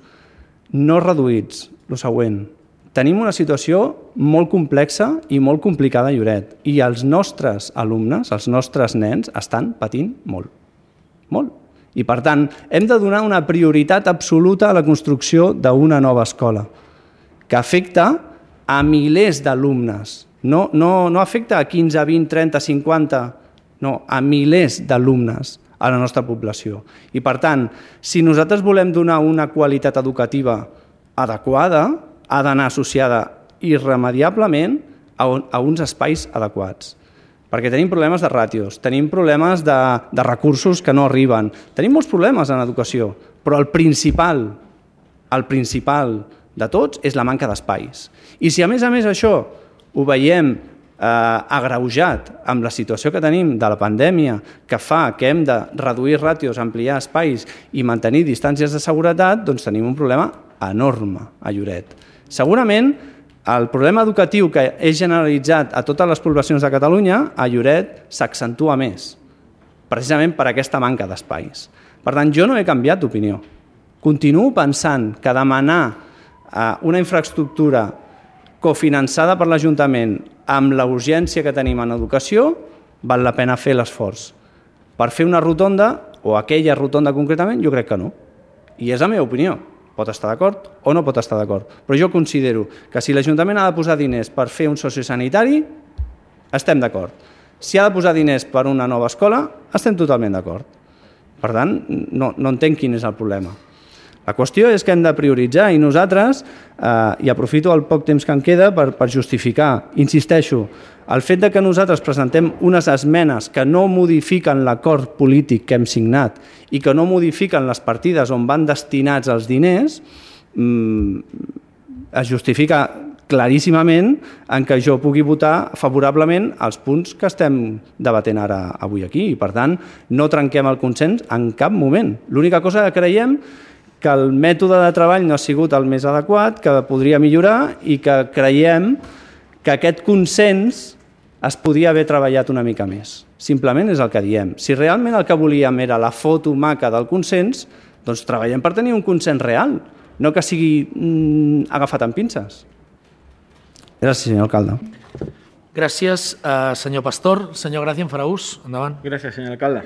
no reduïts. El següent. Tenim una situació molt complexa i molt complicada a Lloret i els nostres alumnes, els nostres nens, estan patint molt. Molt. I, per tant, hem de donar una prioritat absoluta a la construcció d'una nova escola que afecta a milers d'alumnes. No, no, no afecta a quinze, vint, trenta, cinquanta, no, a milers d'alumnes a la nostra població. I, per tant, si nosaltres volem donar una qualitat educativa adequada, ha d'anar associada irremediablement a, un, a uns espais adequats. Perquè tenim problemes de ràtios, tenim problemes de, de recursos que no arriben, tenim molts problemes en educació, però el principal, el principal de tots és la manca d'espais. I si a més a més això ho veiem eh, agreujat amb la situació que tenim de la pandèmia, que fa que hem de reduir ràtios, ampliar espais i mantenir distàncies de seguretat, doncs tenim un problema enorme a Lloret. Segurament El problema educatiu que és generalitzat a totes les poblacions de Catalunya, a Lloret s'accentua més, precisament per aquesta manca d'espais. Per tant, jo no he canviat d'opinió. Continuo pensant que demanar una infraestructura cofinançada per l'Ajuntament amb la urgència que tenim en educació val la pena fer l'esforç. Per fer una rotonda, o aquella rotonda concretament, jo crec que no. I és la meva opinió. Pot estar d'acord o no pot estar d'acord. Però jo considero que si l'Ajuntament ha de posar diners per fer un sociosanitari, estem d'acord. Si ha de posar diners per una nova escola, estem totalment d'acord. Per tant, no, no entenc quin és el problema. La qüestió és que hem de prioritzar i nosaltres, eh, i aprofito el poc temps que em queda per, per justificar, insisteixo, el fet de que nosaltres presentem unes esmenes que no modifiquen l'acord polític que hem signat i que no modifiquen les partides on van destinats els diners, mm, es justifica claríssimament en què jo pugui votar favorablement els punts que estem debatent ara avui aquí. I, per tant, no trenquem el consens en cap moment. L'única cosa que creiem que el mètode de treball no ha sigut el més adequat, que podria millorar i que creiem que aquest consens es podia haver treballat una mica més. Simplement és el que diem. Si realment el que volíem era la foto maca del consens, doncs treballem per tenir un consens real, no que sigui mm, agafat amb pinces. Gràcies, senyor alcalde. Gràcies, eh, senyor Pastor. Senyor Gracia, en farà ús. Endavant. Gracias, señor alcalde.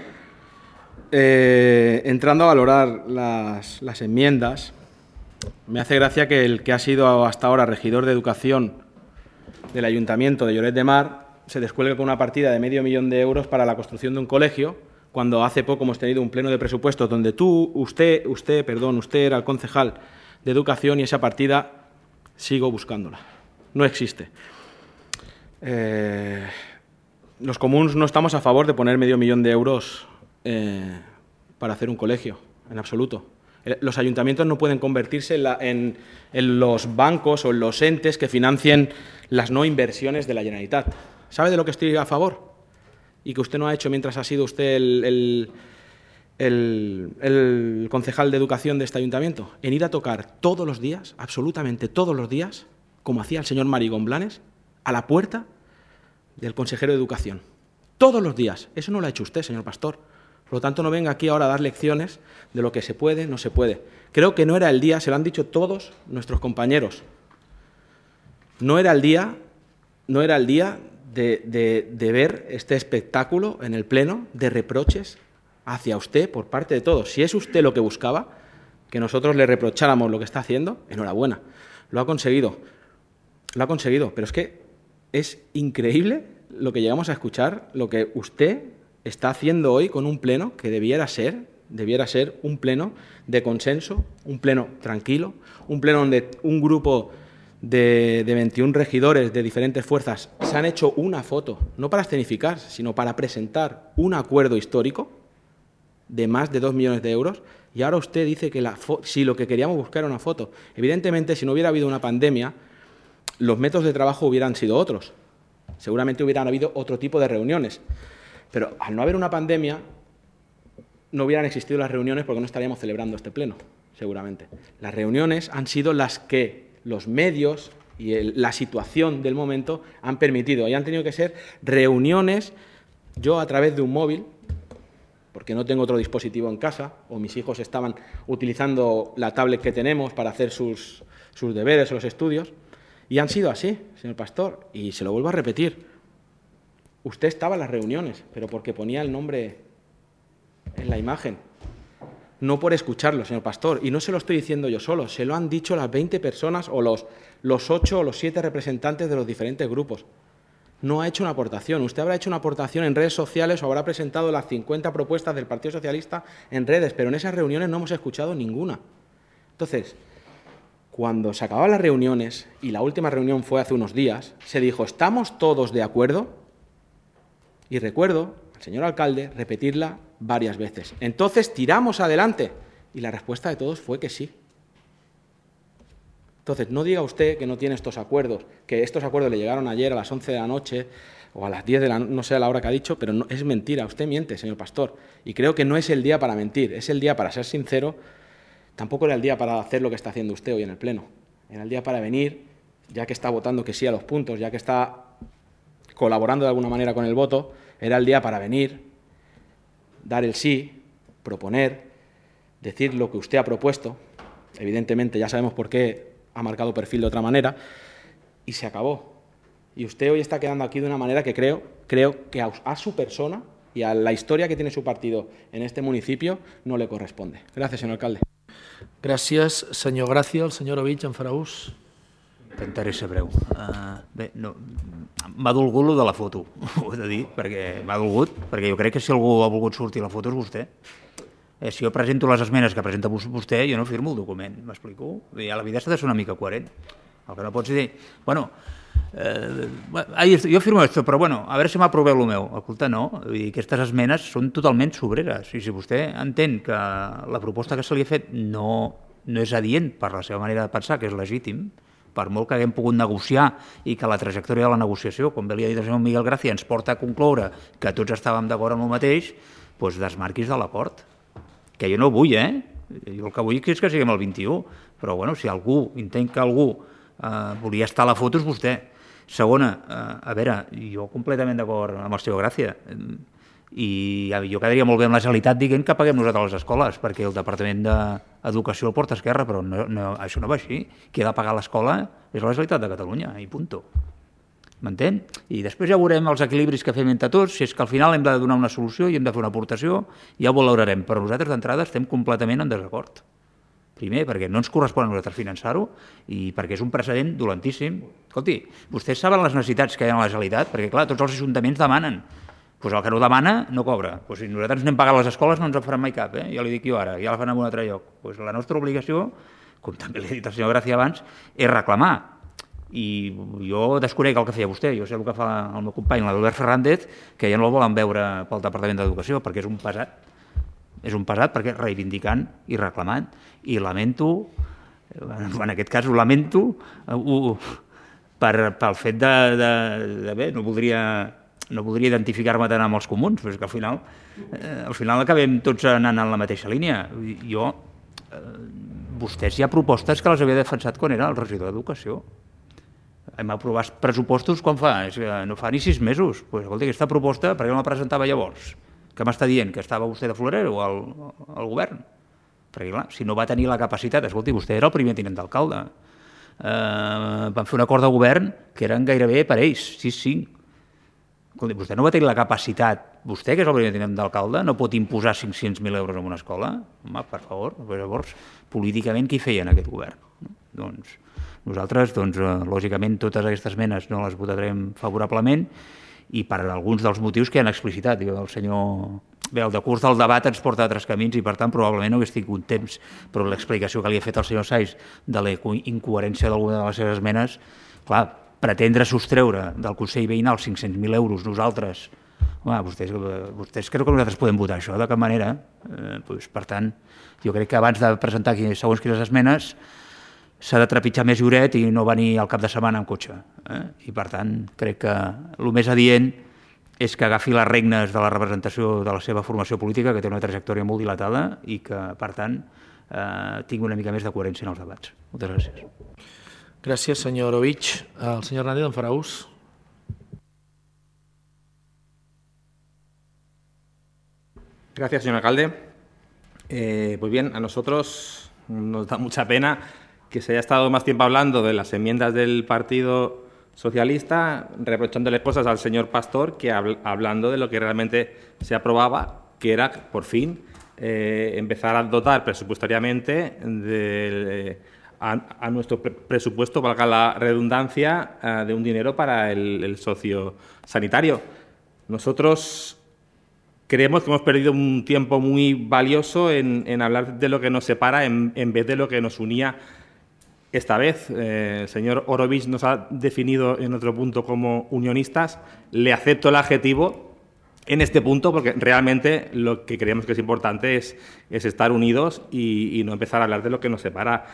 Eh, entrando a valorar las, las enmiendas, me hace gracia que el que ha sido hasta ahora regidor de educación del Ayuntamiento de Lloret de Mar se descuelgue con una partida de medio millón de euros para la construcción de un colegio, cuando hace poco hemos tenido un pleno de presupuestos donde tú, usted, usted, perdón, usted era el concejal de educación y esa partida sigo buscándola. No existe. Eh, los comuns no estamos a favor de poner medio millón de euros eh, para hacer un colegio, en absoluto. Los ayuntamientos no pueden convertirse en, la, en, en los bancos o en los entes que financien las no inversiones de la Generalitat. ¿Sabe de lo que estoy a favor? Y que usted no ha hecho mientras ha sido usted el, el, el, el concejal de educación de este ayuntamiento. En ir a tocar todos los días, absolutamente todos los días, como hacía el señor Marigón Blanes, a la puerta del consejero de educación. Todos los días. Eso no lo ha hecho usted, señor Pastor. Por lo tanto, no venga aquí ahora a dar lecciones de lo que se puede, no se puede. Creo que no era el día, se lo han dicho todos nuestros compañeros, no era el día, no era el día de, de, de ver este espectáculo en el Pleno de reproches hacia usted por parte de todos. Si es usted lo que buscaba, que nosotros le reprocháramos lo que está haciendo, enhorabuena, lo ha conseguido, lo ha conseguido. Pero es que es increíble lo que llegamos a escuchar, lo que usted está haciendo hoy con un pleno que debiera ser, debiera ser un pleno de consenso, un pleno tranquilo, un pleno donde un grupo de, de veintiún regidores de diferentes fuerzas se han hecho una foto, no para escenificar, sino para presentar un acuerdo histórico de más de dos millones de euros, y ahora usted dice que la si lo que queríamos buscar era una foto. Evidentemente, si no hubiera habido una pandemia, los métodos de trabajo hubieran sido otros. Seguramente hubieran habido otro tipo de reuniones. Pero al no haber una pandemia, no hubieran existido las reuniones porque no estaríamos celebrando este pleno, seguramente. Las reuniones han sido las que los medios y el, la situación del momento han permitido. Y han tenido que ser reuniones, yo a través de un móvil, porque no tengo otro dispositivo en casa, o mis hijos estaban utilizando la tablet que tenemos para hacer sus, sus deberes o los estudios, y han sido así, señor Pastor, y se lo vuelvo a repetir. Usted estaba en las reuniones, pero porque ponía el nombre en la imagen, no por escucharlo, señor Pastor. Y no se lo estoy diciendo yo solo, se lo han dicho las veinte personas o los, los ocho o los siete representantes de los diferentes grupos. No ha hecho una aportación. Usted habrá hecho una aportación en redes sociales o habrá presentado las cincuenta propuestas del Partido Socialista en redes, pero en esas reuniones no hemos escuchado ninguna. Entonces, cuando se acababan las reuniones, y la última reunión fue hace unos días, se dijo, ¿estamos todos de acuerdo? Y recuerdo al señor alcalde repetirla varias veces. Entonces tiramos adelante. Y la respuesta de todos fue que sí. Entonces, no diga usted que no tiene estos acuerdos, que estos acuerdos le llegaron ayer a las once de la noche o a las diez de la noche, no sé a la hora que ha dicho, pero no, es mentira. Usted miente, señor Pastor. Y creo que no es el día para mentir, es el día para ser sincero. Tampoco era el día para hacer lo que está haciendo usted hoy en el Pleno. Era el día para venir ya que está votando que sí a los puntos, ya que está colaborando de alguna manera con el voto, era el día para venir, dar el sí, proponer, decir lo que usted ha propuesto. Evidentemente ya sabemos por qué ha marcado perfil de otra manera, y se acabó. Y usted hoy está quedando aquí de una manera que creo, creo que a, a su persona y a la historia que tiene su partido en este municipio no le corresponde. Gracias, señor alcalde. Gràcies, senyor Gràcia. El senyor Ovich en farà ús. Intentaré ser breu. Uh, bé, no, m'ha dolgut lo de la foto, ho he de dir, perquè m'ha dolgut, perquè jo crec que si algú ha volgut sortir la foto és vostè. Eh, si jo presento les esmenes que presenta vostè, jo no firmo el document, m'explico? I a la vida s'ha de ser una mica coherent. El que no pots dir, bueno, eh, jo firmo esto, però bueno, a veure si m'aproveu el meu. Escolta, no, vull dir, aquestes esmenes són totalment sobreres, i si vostè entén que la proposta que se li ha fet no, no és adient per la seva manera de pensar, que és legítim, per molt que haguem pogut negociar i que la trajectòria de la negociació, com bé li ha dit el senyor Miguel Gràcia, ens porta a concloure que tots estàvem d'acord amb el mateix, doncs desmarquis de l'acord. Que jo no vull, eh? Jo el que vull és que siguem el vint-i-u, però bueno, si algú, intent que algú eh, volia estar a la foto és vostè. Segona, eh, a veure, jo completament d'acord amb el senyor Gràcia, i jo quedaria molt bé amb la Generalitat dient que paguem nosaltres les escoles, perquè el Departament d'Educació el porta Esquerra, però no, no, això no va així. Qui ha de pagar l'escola és la Generalitat de Catalunya, i punto. M'entén? I després ja veurem els equilibris que fem entre tots, si és que al final hem de donar una solució i hem de fer una aportació, ja ho valorarem, però nosaltres d'entrada estem completament en desacord. Primer, perquè no ens correspon a nosaltres finançar-ho i perquè és un precedent dolentíssim. Escolti, vostès saben les necessitats que hi ha a la Generalitat, perquè clar, tots els ajuntaments demanen. Doncs el que no demana no cobra. Doncs si nosaltres anem pagant les escoles no ens en faran mai cap, eh? Ja li dic jo ara, ja la fan en un altre lloc. Doncs la nostra obligació, com també li ha dit el senyor Gràcia abans, és reclamar. I jo desconec el que feia vostè, jo sé el que fa el meu company, l'Albert Fernández, que ja no el volen veure pel Departament d'Educació, perquè és un pesat. És un pesat perquè reivindicant i reclamant. I lamento, en aquest cas ho lamento, ho, per, pel fet de, de, de bé, no voldria... no voldria identificar-me tant amb els comuns, però és que al final, eh, al final acabem tots anant en la mateixa línia. Jo, eh, vostès hi ha propostes que les havia defensat quan era el regidor d'Educació. Hem aprovat pressupostos quan fa? És que no fa ni sis mesos. Pues, escolta, aquesta proposta, per què no la presentava llavors? Què m'està dient? Que estava vostè de florero al, al govern? Perquè, clar, si no va tenir la capacitat... Escolti, vostè era el primer tinent d'alcalde. Eh, van fer un acord de govern que eren gairebé per ells, sis cinc. Vostè no va tenir la capacitat, vostè que és el primer tinent d'alcalde, no pot imposar cinc-cents mil euros en una escola? Home, per favor, llavors, políticament, qui feia en aquest govern? Doncs nosaltres, doncs, lògicament, totes aquestes esmenes no les votarem favorablement i per alguns dels motius que han explicitat. El senyor... Bé, el decurs del debat ens porta a altres camins i, per tant, probablement no hagués tingut temps, però l'explicació que li ha fet el senyor Sais de la incoherència d'alguna de les seves esmenes, clar, pretendre sostreure del Consell Veïnal cinc-cents mil euros nosaltres, home, vostès, vostès creu que nosaltres podem votar això de cap manera, eh, doncs, per tant, jo crec que abans de presentar aquí, segons quines esmenes s'ha de trepitjar més lloret i no venir al cap de setmana amb cotxe, eh? I per tant crec que el més adient és que agafi les regnes de la representació de la seva formació política, que té una trajectòria molt dilatada i que, per tant, eh, tingui una mica més de coherència en els debats. Moltes gràcies. Gràcies, senyor Ovich. El senyor Hernández en farà ús. Gracias, señor alcalde. Eh, pues bien, a nosotros nos da mucha pena que se haya estado más tiempo hablando de las enmiendas del Partido Socialista, reprochándole cosas al señor Pastor, que habl- hablando de lo que realmente se aprobaba, que era, por fin, eh, empezar a dotar presupuestariamente de... Eh, A, a nuestro pre presupuesto, valga la redundancia, uh, de un dinero para el, el socio sanitario. Nosotros creemos que hemos perdido un tiempo muy valioso en, en hablar de lo que nos separa en, en vez de lo que nos unía esta vez. Eh, el señor Orovich nos ha definido en otro punto como unionistas. Le acepto el adjetivo en este punto porque realmente lo que creemos que es importante es, es estar unidos y, y no empezar a hablar de lo que nos separa.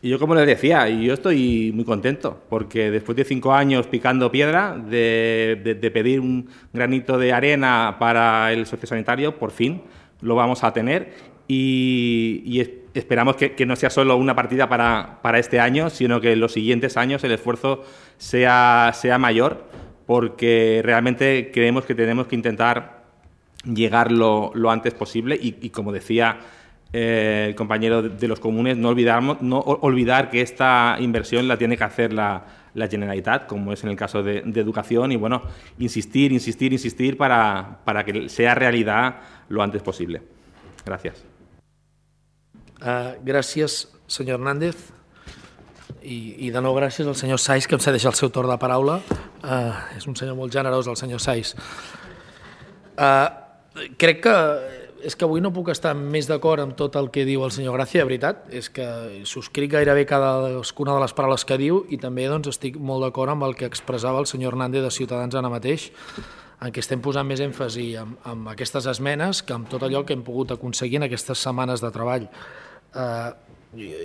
Y yo, como les decía, yo estoy muy contento, porque después de cinco años picando piedra, de, de, de pedir un granito de arena para el sociosanitario, por fin lo vamos a tener. Y, y esperamos que, que no sea solo una partida para, para este año, sino que en los siguientes años el esfuerzo sea, sea mayor, porque realmente creemos que tenemos que intentar llegar lo, lo antes posible y, y como decía eh, el compañero de los comunes, no, olvidarnos, no olvidar que esta inversión la tiene que hacer la, la Generalitat, como es en el caso de, de educación, y bueno, insistir, insistir, insistir para, para que sea realidad lo antes posible. Gracias. Uh, gràcies, senyor Hernández. I, I de nou gràcies al senyor Saiz, que em cedeix el seu torn de paraula. Uh, és un senyor molt generós, el senyor Saiz. Uh, crec que és que avui no puc estar més d'acord amb tot el que diu el senyor Gràcia, de veritat. És que subscric gairebé cadascuna de les paraules que diu i també doncs, estic molt d'acord amb el que expressava el senyor Hernández de Ciutadans ara mateix, en què estem posant més èmfasi amb, amb aquestes esmenes que amb tot allò que hem pogut aconseguir en aquestes setmanes de treball. Uh,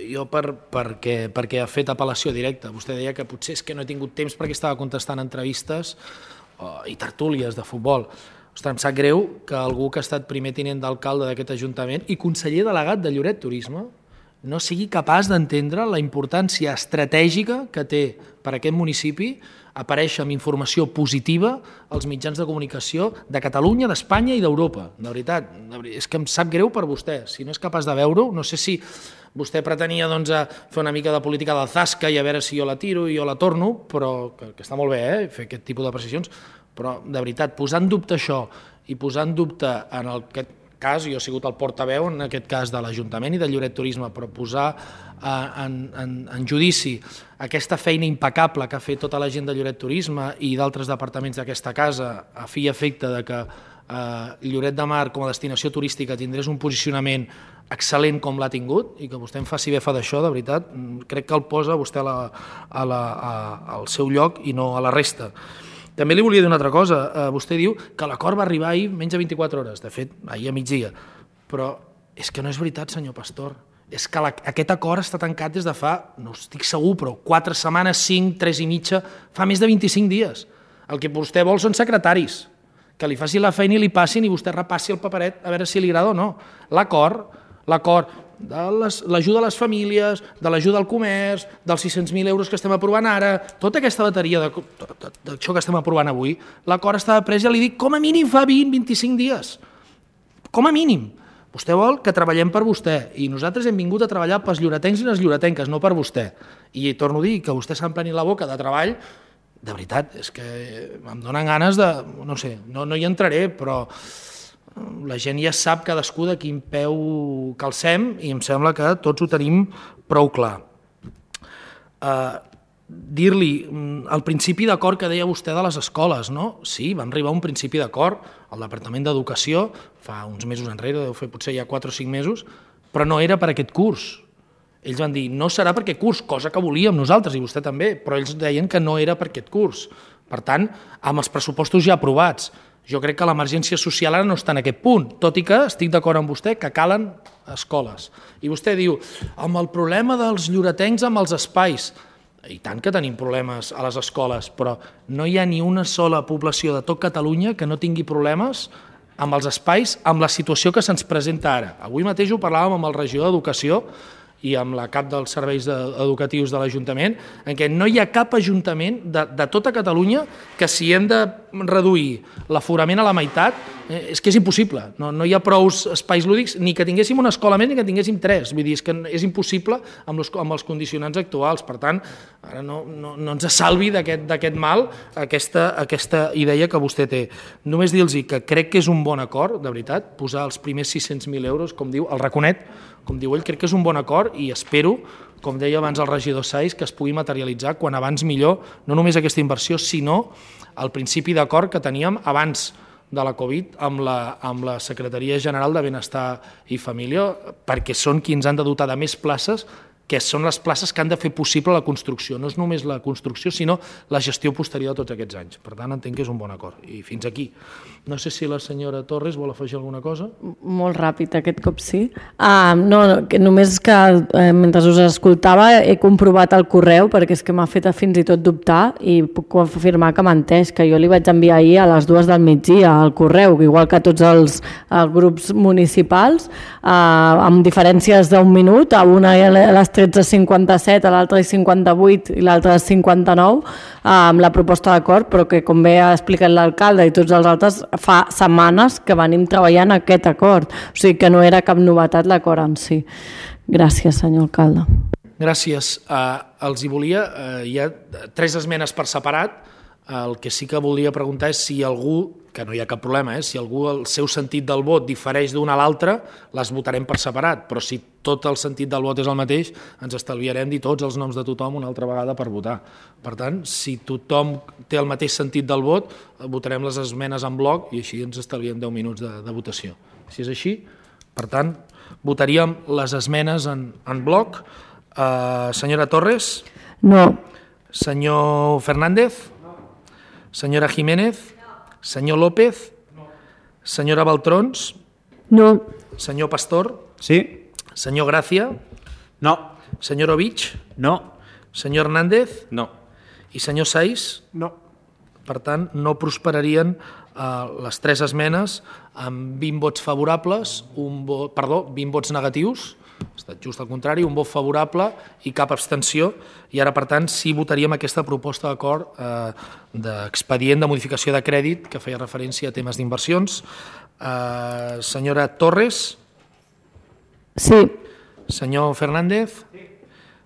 jo per, perquè, perquè ha fet apel·lació directa. Vostè deia que potser és que no he tingut temps perquè estava contestant entrevistes uh, i tertúlies de futbol. Ostres, em sap greu que algú que ha estat primer tinent d'alcalde d'aquest Ajuntament i conseller delegat de Lloret Turisme no sigui capaç d'entendre la importància estratègica que té per a aquest municipi aparèixer amb informació positiva als mitjans de comunicació de Catalunya, d'Espanya i d'Europa. De veritat, és que em sap greu per vostè. Si no és capaç de veure-ho, no sé si vostè pretenia doncs, fer una mica de política del zasca i a veure si jo la tiro i jo la torno, però que, que està molt bé eh, fer aquest tipus de precisions, però de veritat, posar en dubte això i posar en dubte en aquest cas, jo he sigut el portaveu en aquest cas de l'Ajuntament i de Lloret Turisme, però posar en, en, en judici aquesta feina impecable que ha fet tota la gent de Lloret Turisme i d'altres departaments d'aquesta casa a fi i efecte de que eh, Lloret de Mar com a destinació turística tindrés un posicionament excel·lent com l'ha tingut i que vostè em faci befa d'això, de veritat, crec que el posa vostè a la, a la, a, al seu lloc i no a la resta. També li volia dir una altra cosa. Eh, vostè diu que l'acord va arribar ahir menys de vint-i-quatre hores, de fet, ahir a migdia. Però és que no és veritat, senyor Pastor. És que la, aquest acord està tancat des de fa, no estic segur, però quatre setmanes, cinc, tres i mitja, fa més de vint-i-cinc dies. El que vostè vol són secretaris, que li faci la feina i li passin i vostè repassi el paperet a veure si li agrada o no. L'acord, l'acord de l'ajuda a les famílies, de l'ajuda al comerç, dels sis-cents mil euros que estem aprovant ara, tota aquesta bateria d'això que estem aprovant avui, l'acord estava pres, ja li dic, com a mínim fa vint a vint-i-cinc dies. Com a mínim. Vostè vol que treballem per vostè i nosaltres hem vingut a treballar pels lloretencs i les lloretenques, no per vostè. I torno a dir que vostè s'empleni la boca de treball, de veritat, és que em donen ganes de... no sé, no, no hi entraré, però... la gent ja sap cadascú de quin peu calcem i em sembla que tots ho tenim prou clar. Uh, dir-li, el principi d'acord que deia vostè de les escoles, no? Sí, vam arribar a un principi d'acord al Departament d'Educació fa uns mesos enrere, deu fer potser ja quatre o cinc mesos, però no era per aquest curs. Ells van dir, no serà per aquest curs, cosa que volíem nosaltres i vostè també, però ells deien que no era per aquest curs. Per tant, amb els pressupostos ja aprovats, jo crec que l'emergència social ara no està en aquest punt, tot i que estic d'acord amb vostè que calen escoles. I vostè diu, amb el problema dels lloretencs amb els espais, i tant que tenim problemes a les escoles, però no hi ha ni una sola població de tot Catalunya que no tingui problemes amb els espais, amb la situació que se'ns presenta ara. Avui mateix ho parlàvem amb el regidor d'Educació i amb la cap dels serveis educatius de l'Ajuntament, en què no hi ha cap ajuntament de, de tota Catalunya que si hem de reduir l'aforament a la meitat, eh, és que és impossible. No, no hi ha prou espais lúdics ni que tinguéssim una escola més ni que tinguéssim tres. Vull dir, és que és impossible amb, los, amb els condicionants actuals. Per tant, ara no, no, no ens salvi d'aquest mal aquesta, aquesta idea que vostè té. Només dir-los que crec que és un bon acord, de veritat, posar els primers sis-cents mil euros, com diu, el raconet, com diu ell, crec que és un bon acord i espero, com deia abans el regidor Saiz, que es pugui materialitzar quan abans millor, no només aquesta inversió, sinó el principi d'acord que teníem abans de la Covid amb la, amb la Secretaria General de Benestar i Família, perquè són qui ens han de dotar de més places que són les places que han de fer possible la construcció. No és només la construcció, sinó la gestió posterior de tots aquests anys. Per tant, entenc que és un bon acord. I fins aquí. No sé si la senyora Torres vol afegir alguna cosa. Molt ràpid, aquest cop sí. Uh, no, que només que eh, mentre us escoltava he comprovat el correu, perquè és que m'ha fet fins i tot dubtar i puc afirmar que m'ha entès, que jo li vaig enviar ahir a les dues del migdia al correu, igual que tots els, els grups municipals, uh, amb diferències d'un minut, a una a les tretze cinquanta-set, a l'altra a cinquanta-vuit i l'altra a cinquanta-nou, amb la proposta d'acord, però que com bé ha explicat l'alcalde i tots els altres, fa setmanes que venim treballant aquest acord, o sigui que no era cap novetat l'acord en si. Gràcies, senyor alcalde. Gràcies. Uh, els hi volia, uh, hi ha tres esmenes per separat. El que sí que volia preguntar és si algú, que no hi ha cap problema, eh, si algú el seu sentit del vot difereix d'una a l'altra, les votarem per separat, però si tot el sentit del vot és el mateix, ens estalviarem dir tots els noms de tothom una altra vegada per votar. Per tant, si tothom té el mateix sentit del vot, votarem les esmenes en bloc i així ens estalviem deu minuts de, de votació. Si és així, per tant, votaríem les esmenes en, en bloc. Uh, senyora Torres? No. Senyor Fernández? Senyora Jiménez? Senyor López? Senyora Baltrons? No. Senyor Pastor? Sí. Senyor Gràcia? No. Senyor Ovich? No. Senyor Hernández? No. I senyor Saiz? No. Per tant, no prosperarien eh, les tres esmenes amb vint vots favorables, un vot, perdó, vint vots negatius, ha estat just al contrari, un vot favorable i cap abstenció, i ara, per tant, sí votaríem aquesta proposta d'acord eh, d'expedient de modificació de crèdit que feia referència a temes d'inversions. Eh, senyora Torres? Sí. Senyor Fernández? Sí.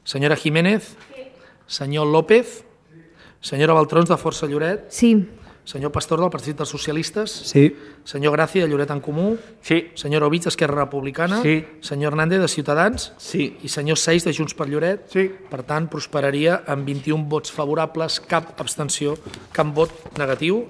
Senyora Jiménez? Sí. Senyor López? Sí. Senyora Baltrons, de Força Lloret? Sí. Senyor Pastor, del Partit dels Socialistes? Sí. Senyor Gràcia, de Lloret en Comú? Sí. Senyor Ovich, d'Esquerra Republicana? Sí. Senyor Hernández, de Ciutadans? Sí. I senyor Saiz, de Junts per Lloret? Sí. Per tant, prosperaria amb vint-i-un vots favorables, cap abstenció, cap vot negatiu.